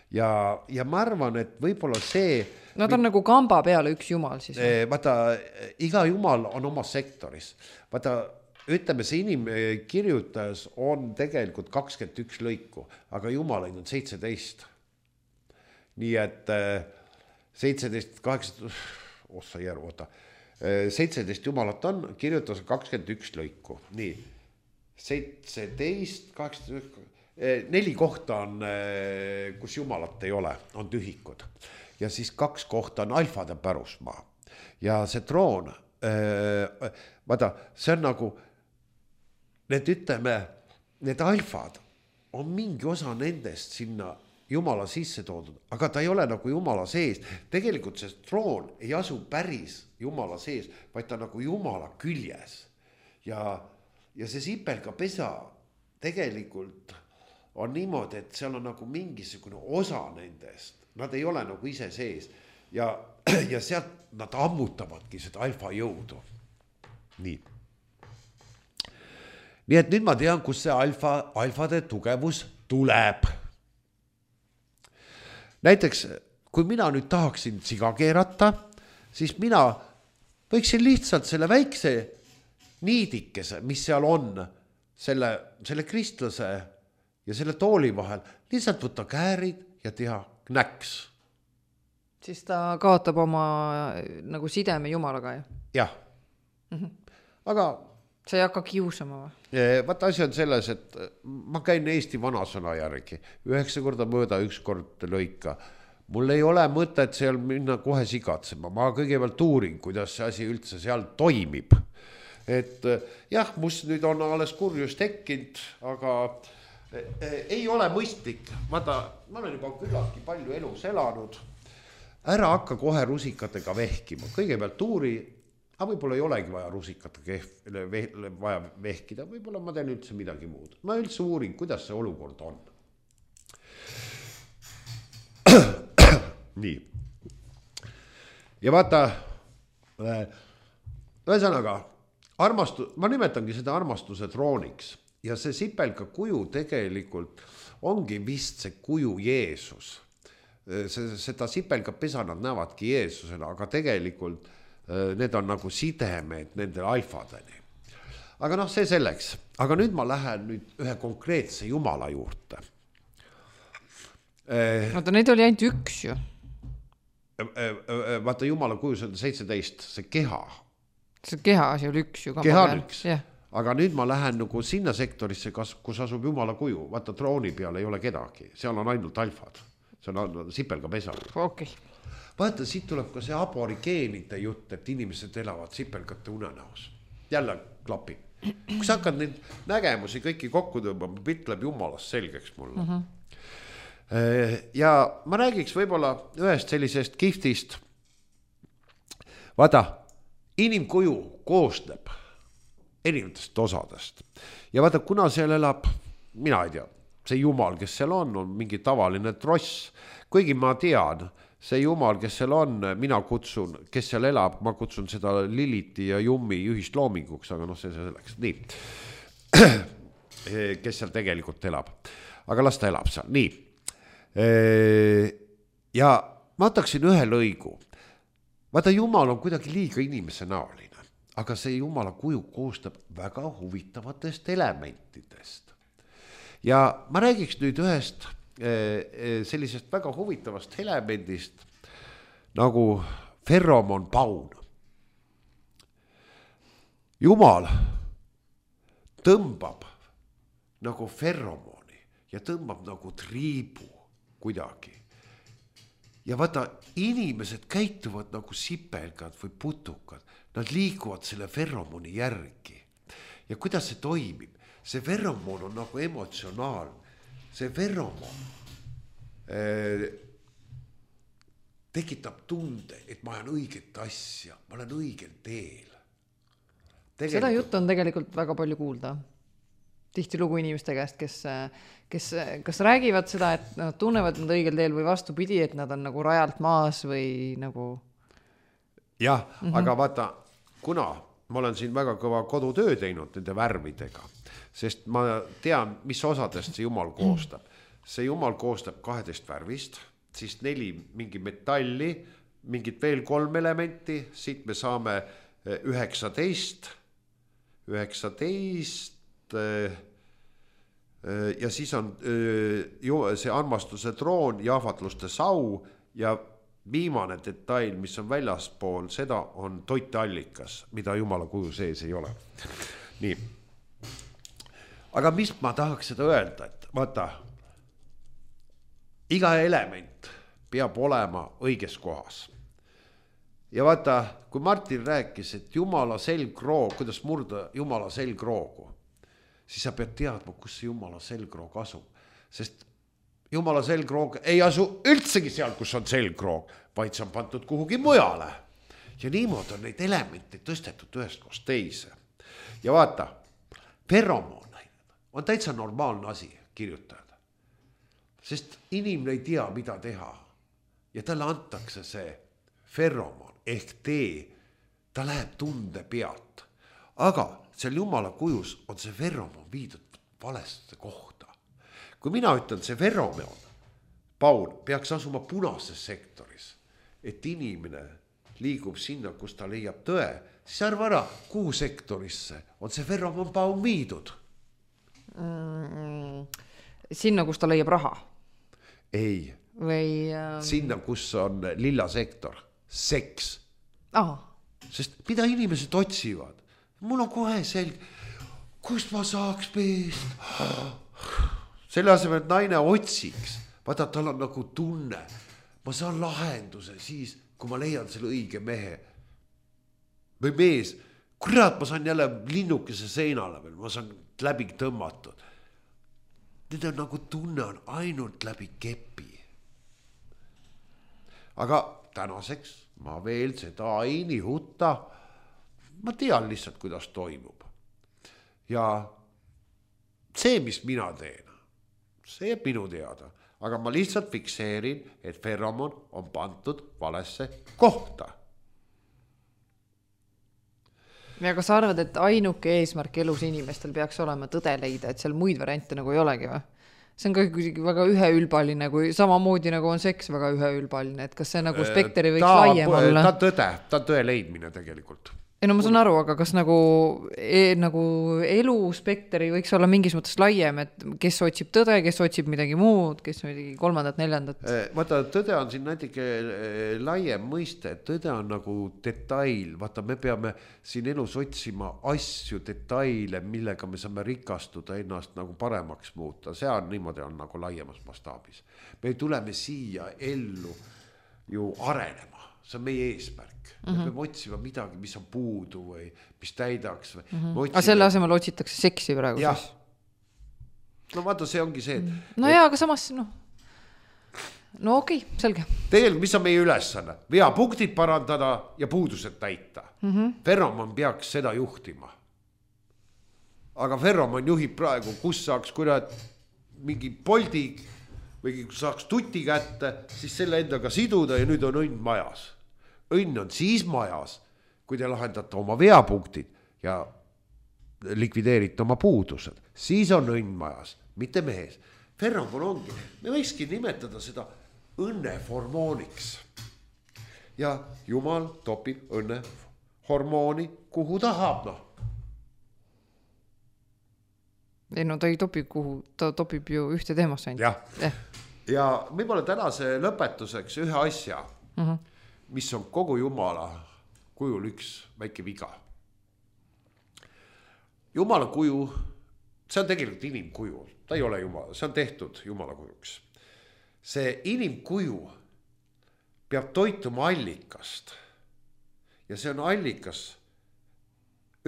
Ja ma arvan, et võib-olla see... Nad on nagu kamba peale üks Jumal siis. Vaata, iga Jumal on oma sektoris. Vaata, ütleme, see inimkirjutas on tegelikult 21 lõiku, aga Jumalaid on 17. Nii et 17, 18, ossa järgu, 17 Jumalat on, kirjutas 21 lõiku. Nii, 17, 18... 4 kohta on, kus Jumalat ei ole, on tühikud. Ja siis 2 kohta on alfade pärusmaa. Ja see troon, vaata, see on nagu, need alfad on mingi osa nendest sinna Jumala sisse toodud, aga ta ei ole nagu Jumala sees. Tegelikult see troon ei asu päris Jumala sees, vaid ta nagu Jumala küljes. Ja see sipelga pesa tegelikult on niimoodi, et seal on nagu mingisugune osa nendest. Nad ei ole nagu ise sees. Ja sealt nad ammutavadki seda alfa jõudu. Nii. Nii et nüüd ma tean, kus see alfade tugevus tuleb. näiteks kui mina nüüd tahaksin siga keerata, siis mina võiksin lihtsalt selle väikse niidikese, mis seal on, selle kristlase ja selle tooli vahel, lihtsalt võtta käärid ja teha knäks. Siis ta kaotab oma nagu sideme Jumalaga, ju? Jah. Aga sa ei hakka kiusama või? Vaata, asi on selles, et ma käin Eesti vanasõna järgi. 9 korda mõõda, 1 kord lõika. Mul ei ole mõtet seal minna kohe sigatsema. Ma kõigepealt uurin, kuidas see asi üldse seal toimib. Et jah, must nüüd on alles kurjus tekkinud, aga ei ole mõistlik. Vaata, ma olen juba küllaltki palju elus elanud. Ära hakka kohe rusikatega vehkima. Kõigepealt uuri, aga võib-olla ei olegi vaja rusikatega vaja vehkida. Võib-olla ma teen üldse midagi muud. Ma üldse uurin, kuidas see olukord on. Nii. Ja vaata, ühesõnaga, ma nimetangi seda armastuse trooniks. Ja see sipelga kuju tegelikult ongi vist see kuju Jeesus. Seda sipelga pesa nad näevadki Jeesusena, aga tegelikult need on nagu sidemed nende alfadeni. Aga see selleks. Aga nüüd ma lähen ühe konkreetse Jumala juurde. Vaata, neid oli ainult üks ju. Vaata, Jumala kujus on 17, see keha. See keha asi oli üks ju. Keha on üks. Aga nüüd ma lähen nagu sinna sektorisse, kus asub Jumala kuju. Vaata, trooni peal ei ole kedagi. Seal on ainult alfad. See on sipelga pesa. Okay. Vaata, siit tuleb ka see aborigeenide jutt, et inimesed elavad sipelgate unenäos. Jälle klapib. Kui sa hakkad neid nägemusi kõiki kokku tõmbama, pilt läheb Jumalast selgeks mulle. Ja ma räägiks võib-olla ühest sellisest kihtist. Vaata, inimkuju koosneb erinevatest osadest. Ja vaata, kuna seal elab, mina ei tea, see Jumal, kes seal on mingi tavaline tross. Kuigi ma tean, see Jumal, kes seal on, mina kutsun, kes seal elab, ma kutsun seda Liliti ja Jummi ühist loominguks, aga see selleks. Nii. Kes seal tegelikult elab. Aga las ta elab seal. Nii. Ja ma võtaksin ühe lõigu. Vaata, Jumal on kuidagi liiga inimese näoline, aga see Jumala kuju koostab väga huvitavatest elementidest. Ja ma räägiks nüüd ühest sellisest väga huvitavast elemendist nagu ferromonpaun. Jumal tõmbab nagu ferromoni ja tõmbab nagu triibu kuidagi. Ja vaata, inimesed käituvad nagu sipelgad või putukad. Nad liiguvad selle ferromoni järgi. Ja kuidas see toimib? See ferromon on nagu emotsionaalne. See ferromon tekitab tunde, et ma olen õiget asja, ma olen õigel teel. Seda juttu on tegelikult väga palju kuulda. Tihti lugu inimeste käest, kes räägivad seda, et nad tunnevad nad õigel teel või vastupidi, et nad on nagu rajalt maas või nagu... Jah, aga vaata, kuna ma olen siin väga kõva kodutöö teinud nende värvidega, sest ma tean, mis osadest see Jumal koostab. See Jumal koostab 12 värvist, siis 4 mingi metalli, mingid veel 3 elementi, siit me saame 19 ja siis on see armastuse troon, jahvatluste sau ja viimane detail, mis on väljaspool, seda on toiteallikas, mida Jumala kuju sees ei ole. Nii. Aga mis ma tahaks seda öelda, et vaata, iga element peab olema õiges kohas. Ja vaata, kui Martin rääkis, et Jumala selgroog, kuidas murda Jumala selgroogu, siis sa pead teadma, kus see Jumala selgroog asub. Sest Jumala selgroog ei asu üldsegi seal, kus on selgroog, vaid see on pandud kuhugi mujale. Ja niimoodi on neid elemente tõstetud ühest koos teise. Ja vaata, ferromon on täitsa normaalne asi kirjutada. Sest inimene ei tea, mida teha. Ja talle antakse see ferromon ehk tee, ta läheb tunde pealt. Aga seal Jumala kujus on see ferromon viidud valesse kohta. Kui mina ütlen see ferromon, paun peaks asuma punases sektoris, et inimene liigub sinna, kus ta leiab tõe, siis arva ära, kuhu sektorisse on see feromonpaun viidud? Sinna, kus ta leiab raha? Ei. Või sinna, kus on lilla sektor, seks. Sest mida inimesed otsivad? Mul on kohe selge, kust ma saaks peest. Selle asemel, et naine otsiks, vaata, tal on nagu tunne. Ma saan lahenduse siis, kui ma leian selle õige mehe. Või mees, kurat, ma saan jälle linnukese seinale veel, ma saan läbi tõmmatud. Need on nagu tunne on ainult läbi kepi. Aga tänaseks ma veel seda ei nihuta. Ma tean lihtsalt, kuidas toimub. Ja see, mis mina teen, see jääb minu teada. Aga ma lihtsalt fikseerin, et feromon on pandud valesse kohta. Ja kas sa arvad, et ainuke eesmärk elus inimestel peaks olema tõde leida, et seal muid variante nagu ei olegi või? See on ka kuidagi väga üheülbaline, kui samamoodi nagu on seks väga üheülbaline, et kas see nagu spektri võiks laiem olla? Ta tõe leidmine tegelikult. Ei no ma saan aru, aga kas nagu elu spektri võiks olla mingis mõttes laiem, et kes otsib tõde, kes otsib midagi muud, kes midagi kolmandat, neljandat? Vaata, tõde on siin natuke laiem mõiste, tõde on nagu detail, vaata, me peame siin elus otsima asju, detaile, millega me saame rikastuda, ennast nagu paremaks muuta, see on niimoodi on nagu laiemas mastaabis. Me tuleme siia ellu ju arenema, see on meie eesmärk. Me peame otsima midagi, mis on puudu või mis täidaks. Aga selle asemel otsitakse seksi praegu ja. siis? No vaata, see ongi see. No jaa, aga samas, no okei, selge. Tegelikult, mis on meie ülesanne? Veapunktid parandada ja puudused täita. Feromon peaks seda juhtima. Aga feromon juhib praegu, kus saaks kurat mingi poldi või saaks tuti kätte, siis selle endaga siduda ja nüüd on õnn majas. Õnn on siis majas, kui te lahendate oma veapunktid ja likvideerite oma puudused. Siis on õnn majas, mitte mehes. Feromon ongi, me võikski nimetada seda õnnehormooniks. Ja Jumal topib õnnehormooni, kuhu tahab, Ei no ta ei topi kuhu, ta topib ju ühte teemasse ainult. Ja võib-olla tänase lõpetuseks ühe asja, mis on kogu Jumala kujul üks väike viga. Jumala kuju, see on tegelikult inimkuju, ta ei ole Jumala, see on tehtud Jumala kujuks. See inimkuju peab toituma allikast ja see on allikas,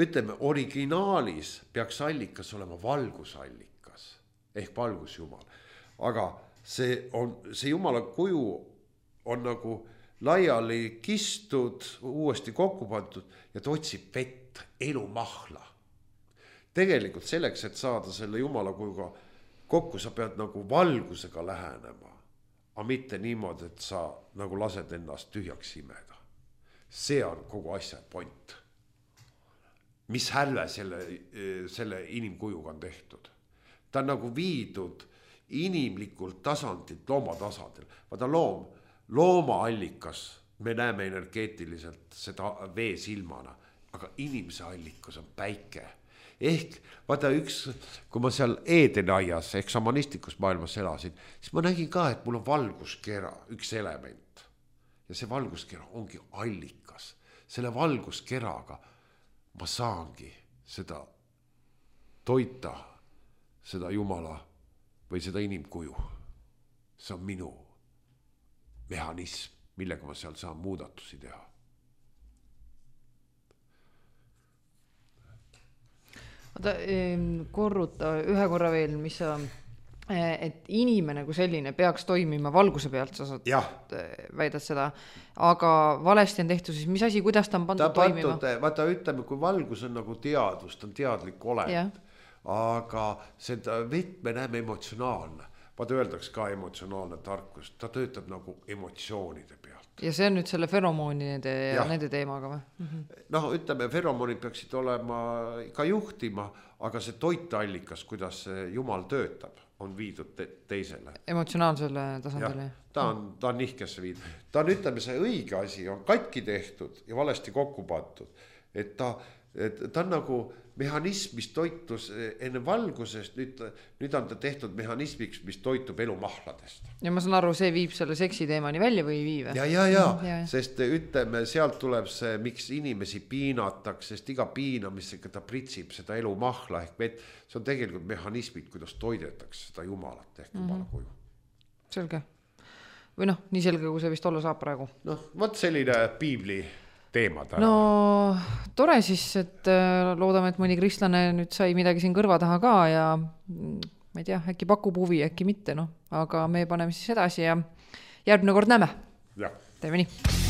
ütleme, originaalis peaks allikas olema valgusallikas ehk valgusjumal, aga see Jumala kuju on nagu laiali kistud, uuesti kokku pandud ja ta otsib vett, elumahla. Tegelikult selleks, et saada selle Jumala kujuga kokku, sa pead nagu valgusega lähenema, aga mitte niimoodi, et sa nagu lased ennast tühjaks imeda. See on kogu asja point. Mis hälve selle inimkujuga on tehtud. Ta on nagu viidud inimlikult tasandilt looma tasandil. Vaata loomaallikas, me näeme energeetiliselt seda vee silmana, aga inimese allikas on päike. Ehk vaata kui ma seal Edenaias ehk šamanistlikus maailmas elasin, siis ma nägin ka, et mul on valguskera, üks element. Ja see valguskera ongi allikas. Selle valguskeraga ma saangi seda toita, seda Jumala või seda inimkuju. See on minu mehhanism, millega ma seal saan muudatusi teha. Oota, korruta ühe korra veel, mis sa, et inimene kui selline peaks toimima valguse pealt, sa saad väidad seda, aga valesti on tehtud, siis mis asi, kuidas ta on pandud toimima? Vaata, ütleme, kui valgus on nagu teadvus, ta on teadlik olend, aga seda vett me näeme emotsionaalne. vaata öeldaks ka emotsionaalne tarkus, ta töötab nagu emotsioonide pealt. Ja see on nüüd selle feromoonide ja nende teemaga või? Noh, ütleme, feromoonid peaksid olema ka juhtima, aga see toiteallikas, kuidas Jumal töötab, on viidud teisele. Emotsionaalsele tasandile. Ta on nihkesse viidud. Ta on, ütleme, see õige asi on katki tehtud ja valesti kokku pandud. Et ta on nagu mehhanism, mis toitus enne valgusest, nüüd on ta tehtud mehhanismiks, mis toitub elumahladest. Ja ma saan aru, see viib selle seksi teemani välja või ei viive? Ja. Sest ütleme, sealt tuleb see, miks inimesi piinatakse, sest iga piinamisega ta pritsib seda elumahla ehk vett. See on tegelikult mehhanismid, kuidas toidetakse seda Jumalat ehk Jumala kuju. Selge. Või noh, nii selge, kui see vist olla saab praegu. Noh, võt selline piibli teema täna. No tore siis, et loodame, et mõni kristlane nüüd sai midagi siin kõrva taha ka ja ma ei tea, äkki pakub huvi, äkki mitte, no. Aga me paneme siis edasi ja järgmine kord näeme. Ja. Teeme nii.